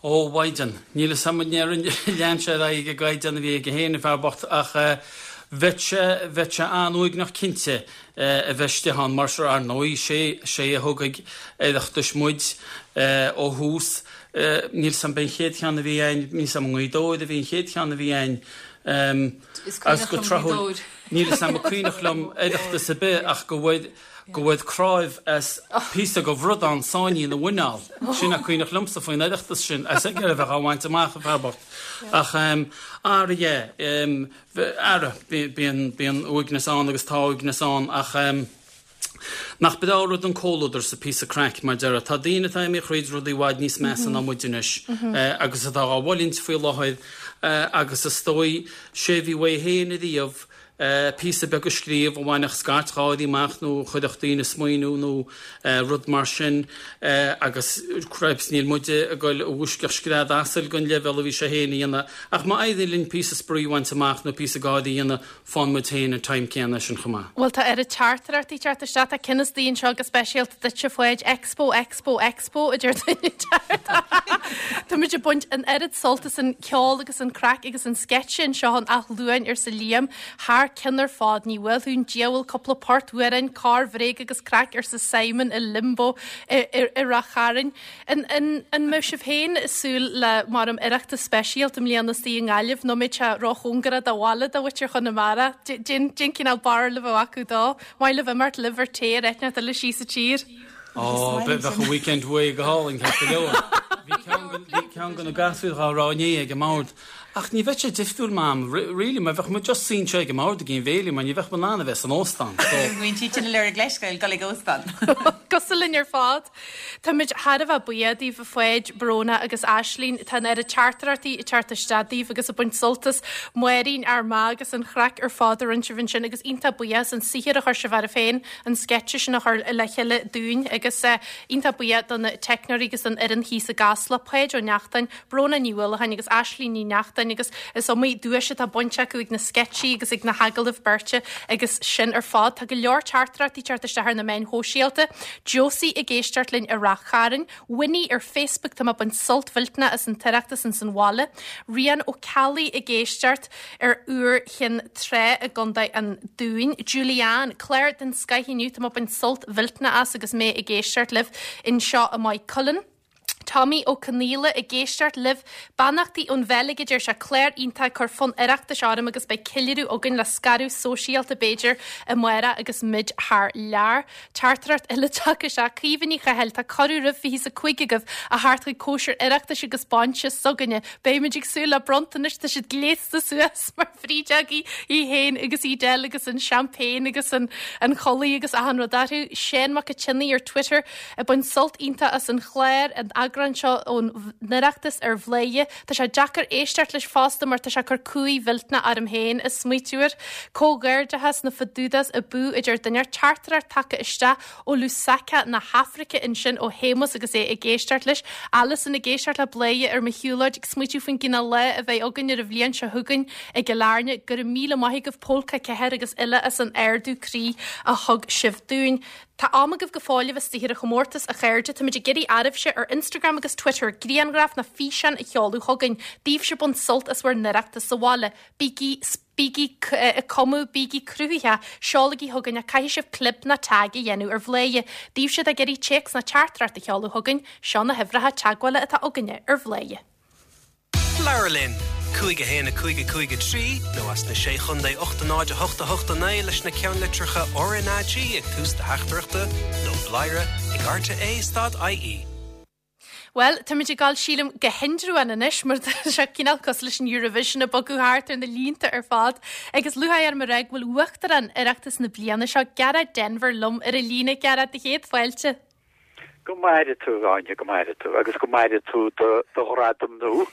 Ó, mhaighdean. Níl fhios a'm an lean sé ar aghaidh ag an gcaighdeán a bhí aige féin, an fear bocht, ach bheadh sé, bheadh sé an-uaigneach cinnte a bheith istigh ann mar seo. Ar ndóigh, sé, sé a thug ag Oireachtais muid ó thús. Níl fhios a'm, b'é an chéad cheann a bhí a'inn, níl fhios a'm i nGaoth Dobhair a bhí an chéad cheann a bhí a'inn. Is Agus cuimhneach go liom Gaoth tráthúil, Dobhair. níl fhios a'm an cuimhneach liom Oireachtas ar bith ach go bhfuair, go bhfuair cnáimh as píosa de bhradán sáinnithe ina mhuineál. Sin a cuimhneach liomsa faoin Oireachtas sin, as aige a bheith á bhaint amach, an fear bocht. Ach ara yeah, ara, bíonn, bíonn uaigneas ann agus tá uaigneas ann ach nach breá rud an comhluadar 's píosa craic, mar déarfá. Tá daoine atá imithe thríd rudaí i bhfad níos measa ná muid anois agus atá á bhfulaingt faoi láthair agus is dóigh, sé a bhí uaidh féin ariamh, píosa beag a scríobh a bhainfeadh scairt gháirí amach nó a chuirfeadh daoine ag smaoineamh nó rud mar sin agus cripes níl muide ag goil a mhúisceacht scread asail den leibhéal a bhí sé féin a dhéanamh ach má éiríonn linn píosa spraoi a bhaint amach nó píosa gáirí a dhéanamh faigheann muid féin an time céanna sin chomh maith. Bhuel tá oiread teachtaireachtaí ag teacht isteach, tá ceann istigh anseo go speisialta duitse a Pháid, Expo, Expo, Expo a deir duine inteacht. Táimid ag baint an oiread sult as an ceol agus an craic agus an sceitse anseo in Áth Luain, arsa Liam. Thar cionn ar fad, ní bhuailfeadh an diabhal cúpla port amhráin, corrbhréag agus craic, arsa Simon i Limbo i Ráth Chairn. An mbeadh sibh féin ag súil le maram Oireachtas speisialta i mbliana istigh i nGaillimh nó an mbeadh sé róchóngarach do bhaile do mhuintir Chonamara? Cén cineál barúil a bheadh acu dó. Maith libh imeacht libh ar tae ar áit inteacht eile síos sa tír. Ó, bheadh an weekend away go hálainn, ceart go leor. Bhí ceann de na gasúir dhá rá inné ag an mbord. Ach ní bheadh sé difriúil, Mam, really, mar bheadh muid just suí anseo ag an mbord ag an bhéile, mar ní bheadh muid in ann a bheith san óstán, so. Bíonn siad sin ag lorg leithscéal, dul ag óstán. Cosúil linn ar fad. Táimid thar a bheith buíoch daoibh, a Pháid, Bróna agus Aislinn. Tá an oiread teachtaireachtaí ag teacht isteach daoibh agus ag baint sult as Máirín, Ár Mbeatha agus an chraic ar fad a rinne sibh ansin agus iontach buíoch as an saothar a chuir sibh oraibh féin an sceitse sin a chur le chéile dúinn agus iontach buíoch do na teicneoirí agus don fhoireann thíos i gCasla, Páid Ó Neachtain, Bróna Ní Uallacháin agus Aislinn Ní Neachtain agus is iomaí duais atá bainte acu ag na sceitsí agus ag na hagallaimh beirte agus sin ar fad. Tá go leor teachtaireachtaí ag teacht isteach ar na meáin shóisialta. Josie ag éisteacht linn i Rath Chairn. Winnie ar Facebook, tá mé ag baint sult mhillteanach as an tOireachtas ins an bhaile. Rian Ó Ceallaigh ag éisteacht ar Iúr Chinn Trá i gContae an Dúin. Julianne, clár den scoith inniu, tá mé ag baint sult mhillteanach as agus mé ag éisteacht libh anseo i Maigh Cuilinn. Tommy Ó Conaola ag éisteacht libh. Beannachtaí ón Bheilg a deir sé, clár iontach ag cur fonn Oireachtais orm agus beidh ceiliúradh againn le scaradh sóisialta b'fhéidir amárach agus muid thar lear. Teachtaireacht eile tagtha isteach, Caoimhe Ní Chathail, tá cuireadh roimh 25 agaibh a theacht chuig cóisir Oireachtais agus bainse s'againne. Beimid ag súil le bronntanais, tá siad gléasta suas mar bhrídeogaí, í féin agus Edel agus an champagne agus an chulaith agus achan rud orthu. Seán Mac an tSionnaigh ar Twitter ag baint sult iontach as an chlár, an eagrán seo ón nOireachtas ar Bhladhaire. Tá sé deacair éisteacht leis fosta mar tá sé ag cur cumhaidh mhillteanach orm féin ag smaoitiú air. Comhghairdeachas na Fadudas abú a deir duine. Teachtaireacht tagtha isteach ó Lusaka na hAfraice ansin ó Shéamus agus é ag éisteacht leis. Alison ag éisteacht le Bladhaire ar mo shiúlóid ag smaoitiú faoin gcineál lá a bheidh againn ar an bhliain seo chugainn i gCill Airne. Go raibh míle maith agaibh Pólca 4 agus uile as an ardú croí a thug sibh dúinn. Tá am agaibh go fóill a bheith istigh ar an chomórtas, a chairde. Táimid ag iarraidh oraibhse ar Instagram agus Twitter grianghraif nó físeáin a sheoladh chugainn. Daoibhse ag baint sult as bhur n-oireachtas sa bhaile. Bígí bígí ag cumadh, bígí cruthaitheach, seolaigí chugainn ach caithfidh sibh clib nó tag a dhéanamh ar Bhladhaire. Daoibhse atá ag iarraidh téacs nó teachtaireacht a sheoladh chugainn, seo na huimhreacha teagmhála atá againne ar Bhladhaire. Labhair linn! 5 1 5 5 3 nó as na Sé Chontae 8 0 8 8 9 leis na ceannlitreacha RnaG ag tús do theachtaireachta nó bladhaire ag rte stad ie. Bhuel, táimid ag dul, sílim, go hIndreabhán anois, mar tá sé cineál cosúil leis an Eurovision ag bogadh thart ar na línte ar fad. Agus lúcháir orm a rá go bhfuil Uachtarán Oireachtas na bliana seo, Gearóid Denvir, liom ar an líne. Gearóid, do chéad fáilte. Go maire tú, Áine, go maire tú, agus go maire tú do do ghradam nua.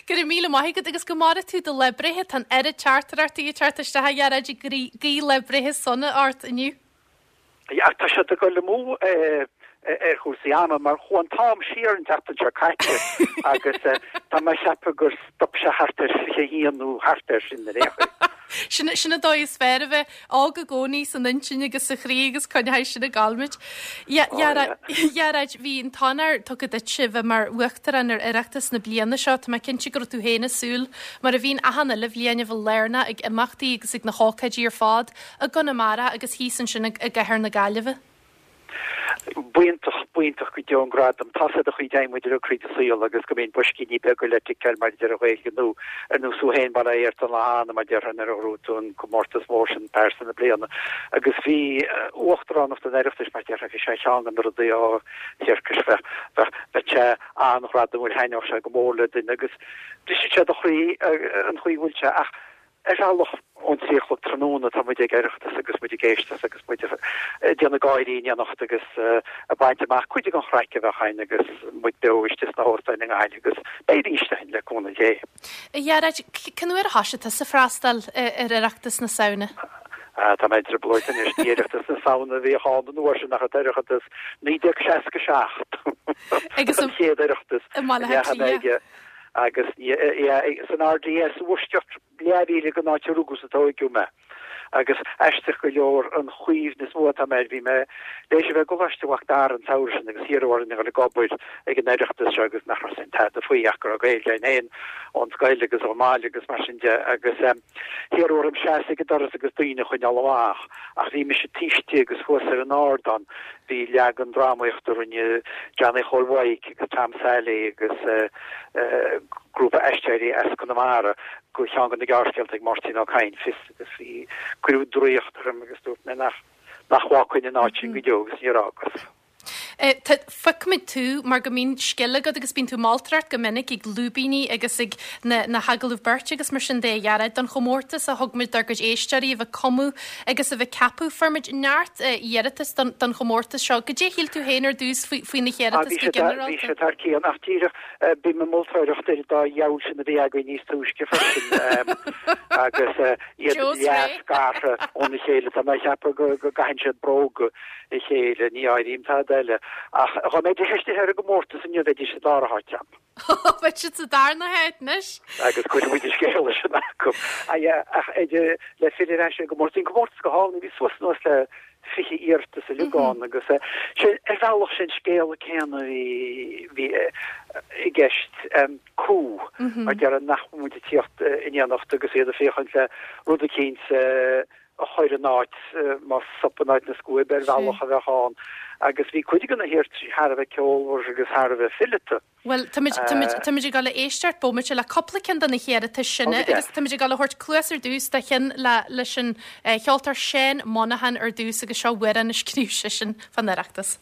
Go raibh míle maith agat agus go maire tú do lá breithe. Tá an oiread teachtaireachtaí ag teacht isteach, a Ghearóid, ag guí lá breithe sona ort inniu. Ach tá siad ag dul amú ar chúrsaí ama mar chuaigh an t-am siar an tseachtain seo caite agus tá mé ag ceapadh gur stop sé thart ar 21 nó thart air sin ar aon chaoi. Sin sin an dóigh is fearr a bheith óg i gcónaí san intinn agus sa chroí agus coinneoidh sin ag gabháil muid. Ghearóid, bhí an t-onóir tugtha duitse bheith mar Uachtarán ar Oireachtas na bliana seo. Tá mé cinnte go raibh tú féin ag súil, mar a bhíonn achan uile bhliain, a bheith lárnach ag imeachtaí agus ag na hócáidí ar fad. i gConamara agus thíos ansin i gcathair na Gaillimhe. B'iontach, b'iontach go deo an gradam. Tá's a'd an chaoi a dtéann muid uilig thríd an saol agus go mbíonn boiscíní beaga le ticeáil mar a deir an Ghaeilge nó ar nós thú féin bail ó Dhia ort an lá cheana mar déarfá nuair a ghnóthaigh tú an comórtas mór sin Pearsa na Bliana agus bhí uachtaránacht an Oireachtais mar déarfá bhí sé ar cheann de na rudaí á thiarcais bheadh bheadh bheadh sé an-ghradamúil thaitneodh sé go mór le duine agus briseann sé do chroí an chaoi a bhfuil sé ach Ar bhealach, ón 3 a chlog tráthnóna tá muid ag Oireachtas agus muid ag éisteacht agus muid ag déanamh gáirí in éineacht agus ag baint amach cuid den chraic a bheadh againn agus muid beo istigh sna hóstáin i nGaillimh agus beidh arís againn le cúnamh Dé. A Ghearóid, cén uair a thoisigh tusa freastal ar Oireachtas na Samhna? Tá mé i dtrioblóid anois, ní Oireachtas na Samhna a bhíodh ann an uair sin ach an tOireachtas 1967 Agus an chéad Oireachtas i mBaile Átha Cliath. Agus san RDS i bhfoisceacht leathmhíle den áit a rugadh is a tóigeadh mé. Agus aisteach go leor an chuimhne is mó atá agam air, bhí mé tar éis a bheith i gColáiste Mhac Dara an samhradh sin agus hiarradh orainn a dhul ag obair ag an Oireachtas seo agus nach raibh 'fhios a'inn tada faoi ach go raibh Gaeilge againn féin ón scoil agus ón mbaile agus mar sin de agus hiarradh orm seasamh ag an doras agus daoine a choinneáil amach ach bhí mise taobh istigh agus thuas ar an ardán bhí leagan drámaíochta a rinne Johnny Chóil Mhaidhc agus Tom Sally agus grúpa aisteoirí as Conamara go cheann de na gearrscéalta ag Máirtín Ó Cadhain, Fios agus bhí, cuireadh draíocht orm agus dúirt mé nach nach bhfágfainn an áit sin go deo agus níor fhágas. Feicimid tú mar go mbíonn scil agat agus bíonn tú ag moltóireacht go minic ag lúibíní agus ag na na hagallaimh beirte agus mar sin de a Ghearóid don chomórtas a thug muid dár gcuid éisteoirí a bheith ag cumadh agus a bheith ag ceapadh. Fuair muid neart iarratas don don chomórtas seo. Goidé a shíl tú féin ar dtús faoi faoi na hiarratais go ginearálta? Bhí sé thar cionn ach díreach bím ag moltóireacht ar an dá dhiabhal sin a bhí againn níos túisce freisin agus iad leath-scartha óna chéile. Tá mé ag ceapadh go gcaitheann siad bróga a chéile, ní áirím tada eile. Ach dá mbeidís istigh ar an gcomórtas inniu bheidís sa dara háit agam. Beidh siad sa darna háit anois. Agus cuirfidh muid an scéala sin acu. Ach le filleadh ar ais ar an gcomórtas, bhí an comórtas go hálainn, bhí suas anuas le 20 iarratas uilig ann agus sé ar bhealach sin scéal céanna a bhí bhí i gceist coup mar déarfá nach bhfuil muid ag tíocht in éineacht agus iad ag féachaint le rud eicínt a chur in áit, más sop in áit na scuaibe ar bhealach a bheadh ann agus bhí cuid de na hiarrataisí thar a bheith ceolmhar agus thar a bheith fileata. Bhuel, táimid, táimid, táimid ag dul a éisteacht bomaite le cúpla ceann de na hiarratais sin agus táimid ag dul a thabhairt cluas ar dtús do cheann le, leis an cheoltóir Seán Monaghan ar dtús agus seo amhrán a scríobh seisean fán Oireachtas.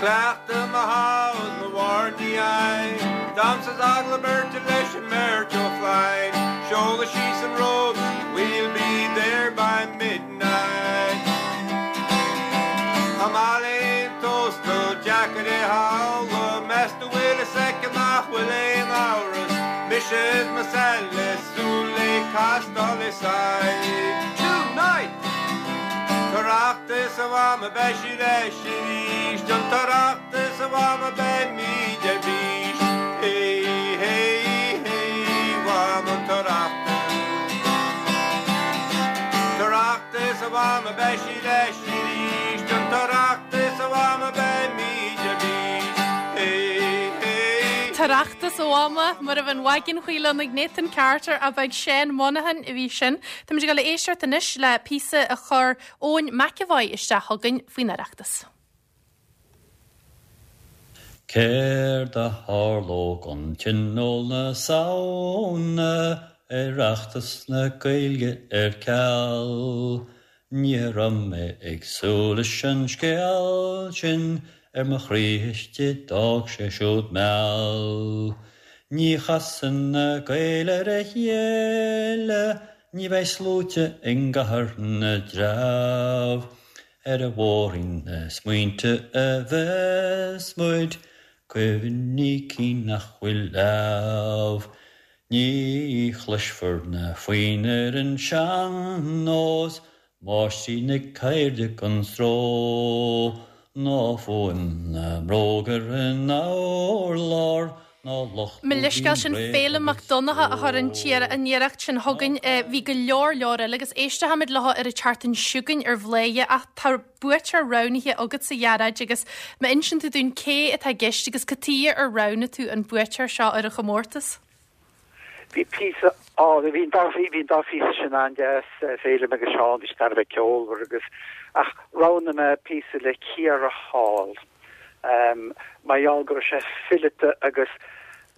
Cleachtadh mo shamhail mo mhár ní fhaighim Damhsa is agallamh beirte leis an mbeirt Ó Floinn Seoladh síos an ród We'll be there by midnight Tá maith le haon tóstal deacair é shamhlú Meas tú bhfuil fhios aici nach bhfuil aon amhras Mise is mo Sally súil le castáil is aghaidh Tonight! T'Oireachtas a mhama beidh sí leis arís An tOireachtas a mhama beimid ar bís Hey hey hey mhama an tOireachtas T'Oireachtas a mhama beidh sí leis arís An tOireachtas a mhama beimid ar bís Hey hey hey. tOireachtas, a Mhama, mar a bheith an mhaidin chaoileann ag Nathan Carter ab ag Seán Monaghan a bhí sin. Táimid ag dul a éisteacht anois le píosa a chuir Eoin McEvoy isteach chugainn faoin Oireachtas. Céard a tharlódh don Tionól na Samhna, Oireachtas na Gaeilge ar ceal? Ní raibh mé ag súil leis an scéal sin, ar mo chroí istigh d'fhág sé siúd meall. Ní chasann na Gaeil ar a chéile, ní bheidh sluaite i gCathair na dTreabh. Ar an bhóithrín na smaointe a bheas muid, cuimhní cinn nach bhfuil leamh. Ní chloisfear na foinn ar an sean-nós, máistrí na ceirde gan stró, ná fuaim na mbróg ar an urlár, ná lucht Mo leithscéal sin Féilim Mac Donncha a chuir an an iarracht sin chugainn. Bhí go leor leor eile agus éistfimid leo ar an tseachtain seo chugainn ar Bhladhaire ach tá buaiteoir roghnaithe agatsa a Ghearóid agus má insíonn tú dúinn cé atá i gceist agus cad tuighe ar roghnaigh tú an buaiteoir seo ar an chomórtas. Bhí píosa álainn, bhí an dá, bhí an dá phíosa sin an-deas, Féilim agus Seán, bhí siad thar a bheith ceolmhar agus, ach roghnaigh mé píosa le Ciara Hall, mar gheall go raibh sé fileata agus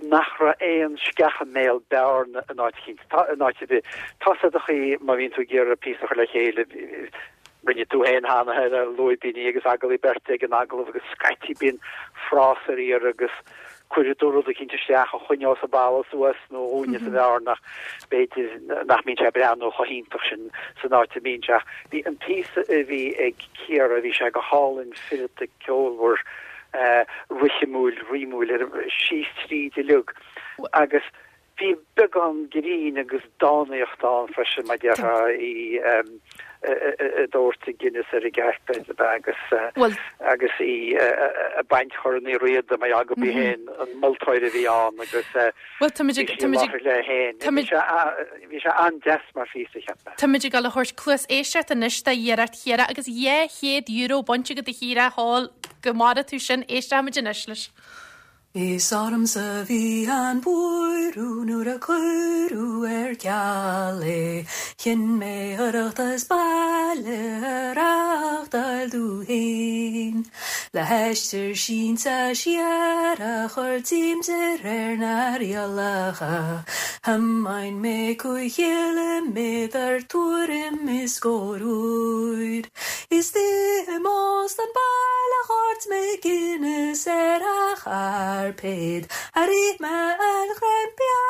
nach raibh aon sceach i mbéal bearna in áit eicínt, tá, in áit ar bith. Tá 's a'd an chaoi má bhíonn tú ag iarraidh píosa a chur le chéile, rinne tú féin cheana é le lúibíní agus agallaimh beirte ag an agallamh agus scaití bíonn frása ar iarraidh agus cuirfidh tú rud eicínt isteach a choinneos an balla suas nó a dhúnfas an bhearna ach b'fhéidir nach mbíonn sé ag breathnú chomh hiontach sin san áit a mbíonn sé. Ach bhí an píosa a bhí ag Ciara, bhí sé go hálainn fileata ceolmhar, rithimiúil, rímiúil, síos tríd uilig agus bhí beagán grinn agus dánaíocht ann freisin, mar déarfá, í ag doirteadh Guinness ar an gcairpéad agus agus í ag baint Chorn Uí Riada mar gheall gurb í féin an moltóir a bhí ann agus bhí sí i láthair léi féin. Bhí sé an-deas mar phíosa, cheap mé. Táimid ag dul a thabhairt cluas éisteachta anois d'iarracht Chiara agus €200 bainte agat a Chiara Hall go maire tú sin, éistfimid anois leis. Is ormsa a bhí an buaireamh nuair a cuireadh ar ceal é. Chinn mé Oireachtas baile a reáchtáil domh féin. Le haistear sínte siar a chur díom de réir na rialacha, thiomáin mé 5 chiliméadar tuairim is scór uair. Istigh in óstán baile dhoirt mé Guinness ar a chairpéad. Rith mé an ghreim bia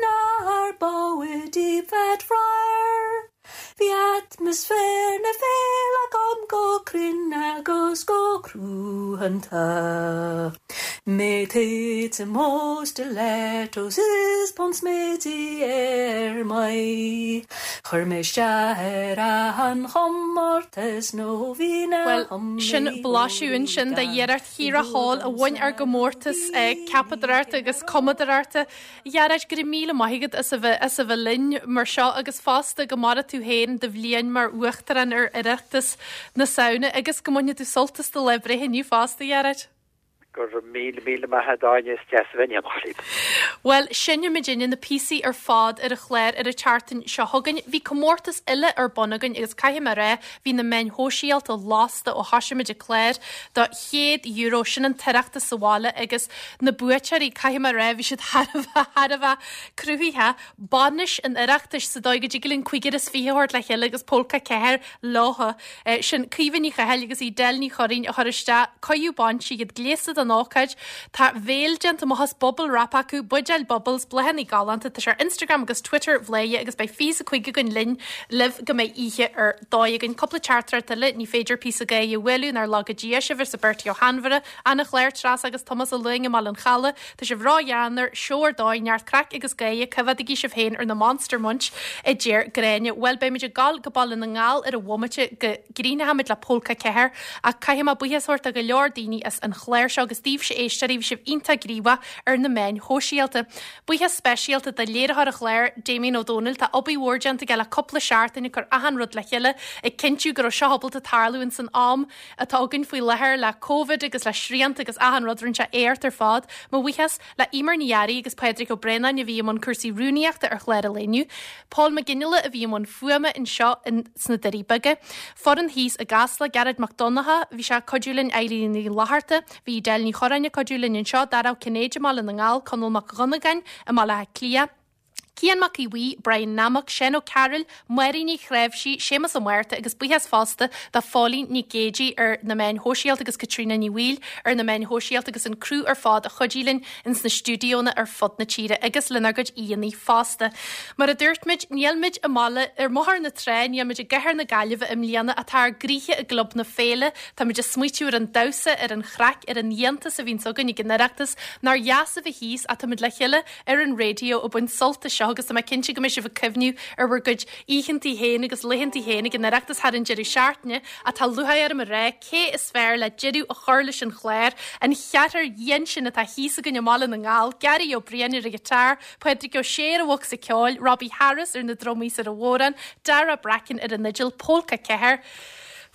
nár bádh i deep fat fryer. Bhí atmaisféar na féile agam go cruinn agus go cruthanta. Mé téite mo stilettos is bonn sméidí ar m'aghaidh. Chuir mé isteach ar an chomórtas nó bhí na Bhuel, sin blaiseadh ansin de iarracht Chiara Hall a bhain ár gcomórtas ceapadóireachta agus cumadóireachta. A Ghearóid, go raibh míle maith agat as a bheith as a bheith linn mar seo agus fosta go maire tú féin do bhliain mar Uachtarán ar Oireachtas na Samhna agus go mbaine tú sult as do lá breithe inniu fosta, a Ghearóid. Go raibh míle míle maith agat Áine, is deas a bheith in éineacht libh. Bhuel, seinnfimid inniu na píosaí ar fad ar an chlár ar an tseachtain seo chugainn. Bhí comórtas eile ar bun againn agus caithfidh mé a rá, bhí na meáin shóisialta lasta ó thoisigh muid an clár do €100, sin an tOireachtas sa bhaile agus na buaiteoirí, caithfidh mé a rá, bhí siad thar a bheith, thar a bheith cruthaitheach. Bainis an Oireachtais sa dóigh go dtig linn 25 a thabhairt le chéile agus Pólca 4 leothu. Sin Caoimhe Ní Chathail agus Edel Ní Churraoin a chuir isteach cóiriú bainse, iad gléasta don ócáid. Tá veil déanta amach as bubble wrap acu, buidéil bubbles, bláthanna galánta. Tá sé ar Instagram agus Twitter Bhladhaire agus beidh 25 againn linn libh go mbeidh oíche ar dóigh againn. Cúpla teachtaireacht eile, ní féidir píosa gáire a bhualadh nár laga Dia sibh arsa Bertie Ó hAinmhire, Ana-chlár, Treasa agus Tomás Ó Luing i mBaile an Chalaidh. Tá sibh ró-gheanmhar, seó ar dóigh, neart craic agus gáire, coimheádaigí sibh féin ar na Monster Munch, a deir Gráinne. Bhuel, beimid ag gabháil go Baile na nGall ar an bhomaite go gcríochnóimid le Pólca 4, ach caithfidh mé buíochas a thabhairt do go leor daoine as an chlár seo agus. agus daoibhse éisteoirí, bhí sibh iontach gníomhach ar na meáin shóisialta. Buíochas speisialta do léiritheoir an chláir, Damien Ó Dónaill. Tá obair mhór déanta aige le cúpla seachtain ag cur achan rud le chéile, ag cinntiú go raibh seo ábalta tarlú ins an am atá againn faoi láthair le Covid agus le srianta agus achan rud, rinne sé éacht ar fad. Mo bhuíochas le Eimear Ní Fhearraigh agus Pádraig Ó Braonáin a bhí i mbun cúrsaí rúnaíochta ar chlár an lae inniu, Pól Mac Fhionnghaile a bhí i mbun fuaime anseo in sna Doirí Beaga, foireann thíos i gCasla, Gearóid Mac Donncha, bhí sé ag cuidiú linn, Eilín Ní Fhlatharta, bhí Edel Ní Chorráin ag cuidiú linn anseo, Dara Ó Cinnéide i mBaile na nGall, Conall Mac Dhonnagáin i mBaile Átha Cliath, Cian Mac Aodha Bhuí, Brian Nammock, Seán Ó Cearúil, Máirín Ní Chnáimhsí, Séamus Ó Márta agus buíochas fosta do Phóilín Nic Géidigh ar na meáin shóisialta agus Caitríona Ní Bhaoill ar na meáin shóisialta agus an criú ar fad a chuidigh linn ins na stiúidíónna ar fud na tíre agus lenár gcuid aíonna fosta. Mar a dúirt muid, níl muid i mbaile ar mBóthar na Trá, níl muid i gcathair na Gaillimhe i mbliana ach tá ár gcroíthe i gClub na Féile. Tá muid ag smaoitiú ar an damhsa, ar an chraic, ar an iontas a bhíonns againn ag an Oireachtas. Nár dheas a bheith thíos ach tá muid le chéile ar an raidió ag baint sult as seo agus tá mé cinnte go mbeidh sibh ag cuimhniú ar bhur gcuid oícheantaí féin agus laethantaí féin ag an Oireachtas thar an deireadh seachtaine ach tá lúcháir orm a rá cé is fearr le deireadh a chur leis an chlár, an cheathrar dhian sin atá thíos againn i mBaile na nGall, Gary Ó Briain ar an ghiotár, Pádraig Ó Sé ar an bhocsa ceoil, Robbie Harris ar na drumaí is ar an bhodhrán, Dara Bracken ar an fhidil, Pólca 4.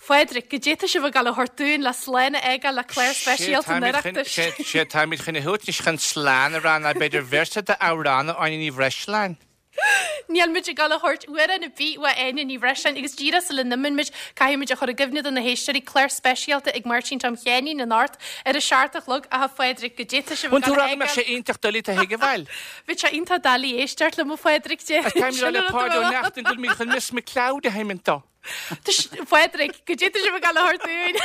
Phádraig, goidé tá sibh ag gabháil a thabhairt dúinn le slán a fhágáil le clár speisialta an Oireachtais. Sé táimid chun a thabhairt anois chun slán a rá ná b'fhéidir véarsa d'amhrán ó Áine Ní Bhreisleáin. Níl muid ag gabháil a thabhairt amhrán ar bith uaidh Áine Ní Bhreisleáin agus díreach sula n-imíonn muid caithfidh muid a chur i gcuimhne do na héisteoirí clár speisialta ag Máirtín Tom Sheáinín anocht ar a seacht a chlog ach a Phádraig goidé tá sibh ag Bhain tú gabháil a rá go mbeadh sé fhágáil. iontach doiligh do thuigbheáil. Bheadh sé iontach doiligh éisteacht liom a Phádraig de. Táimid ag rá le Páid Ó Neachtain go bhfuil muid chun Miss McCloud a sheimint dó. Phádraig, goidé tá sibh ag gabháil a thabhairt dúinn.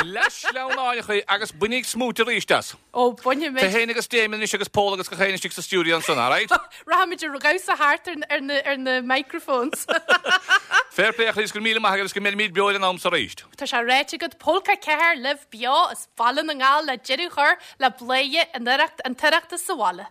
Le sleamhnáin chuig agus bainíg smúit arís as. Ó, bainfidh Tú muid. féin agus Damien anois agus Pól agus gach éinne istigh sa stiúideo ansan, alright? Rachaimid ar dhamhsa thart ar na ar na microphones. Fair play a Chríost, go raibh míle maith agat agus go mbeimid beo ar an am so arís. Tá sé ráite agat, Pólca 4 libh beo as Baile na nGall le deireadh a chur le Bladhaire an Oireacht an tOireachtas sa bhaile.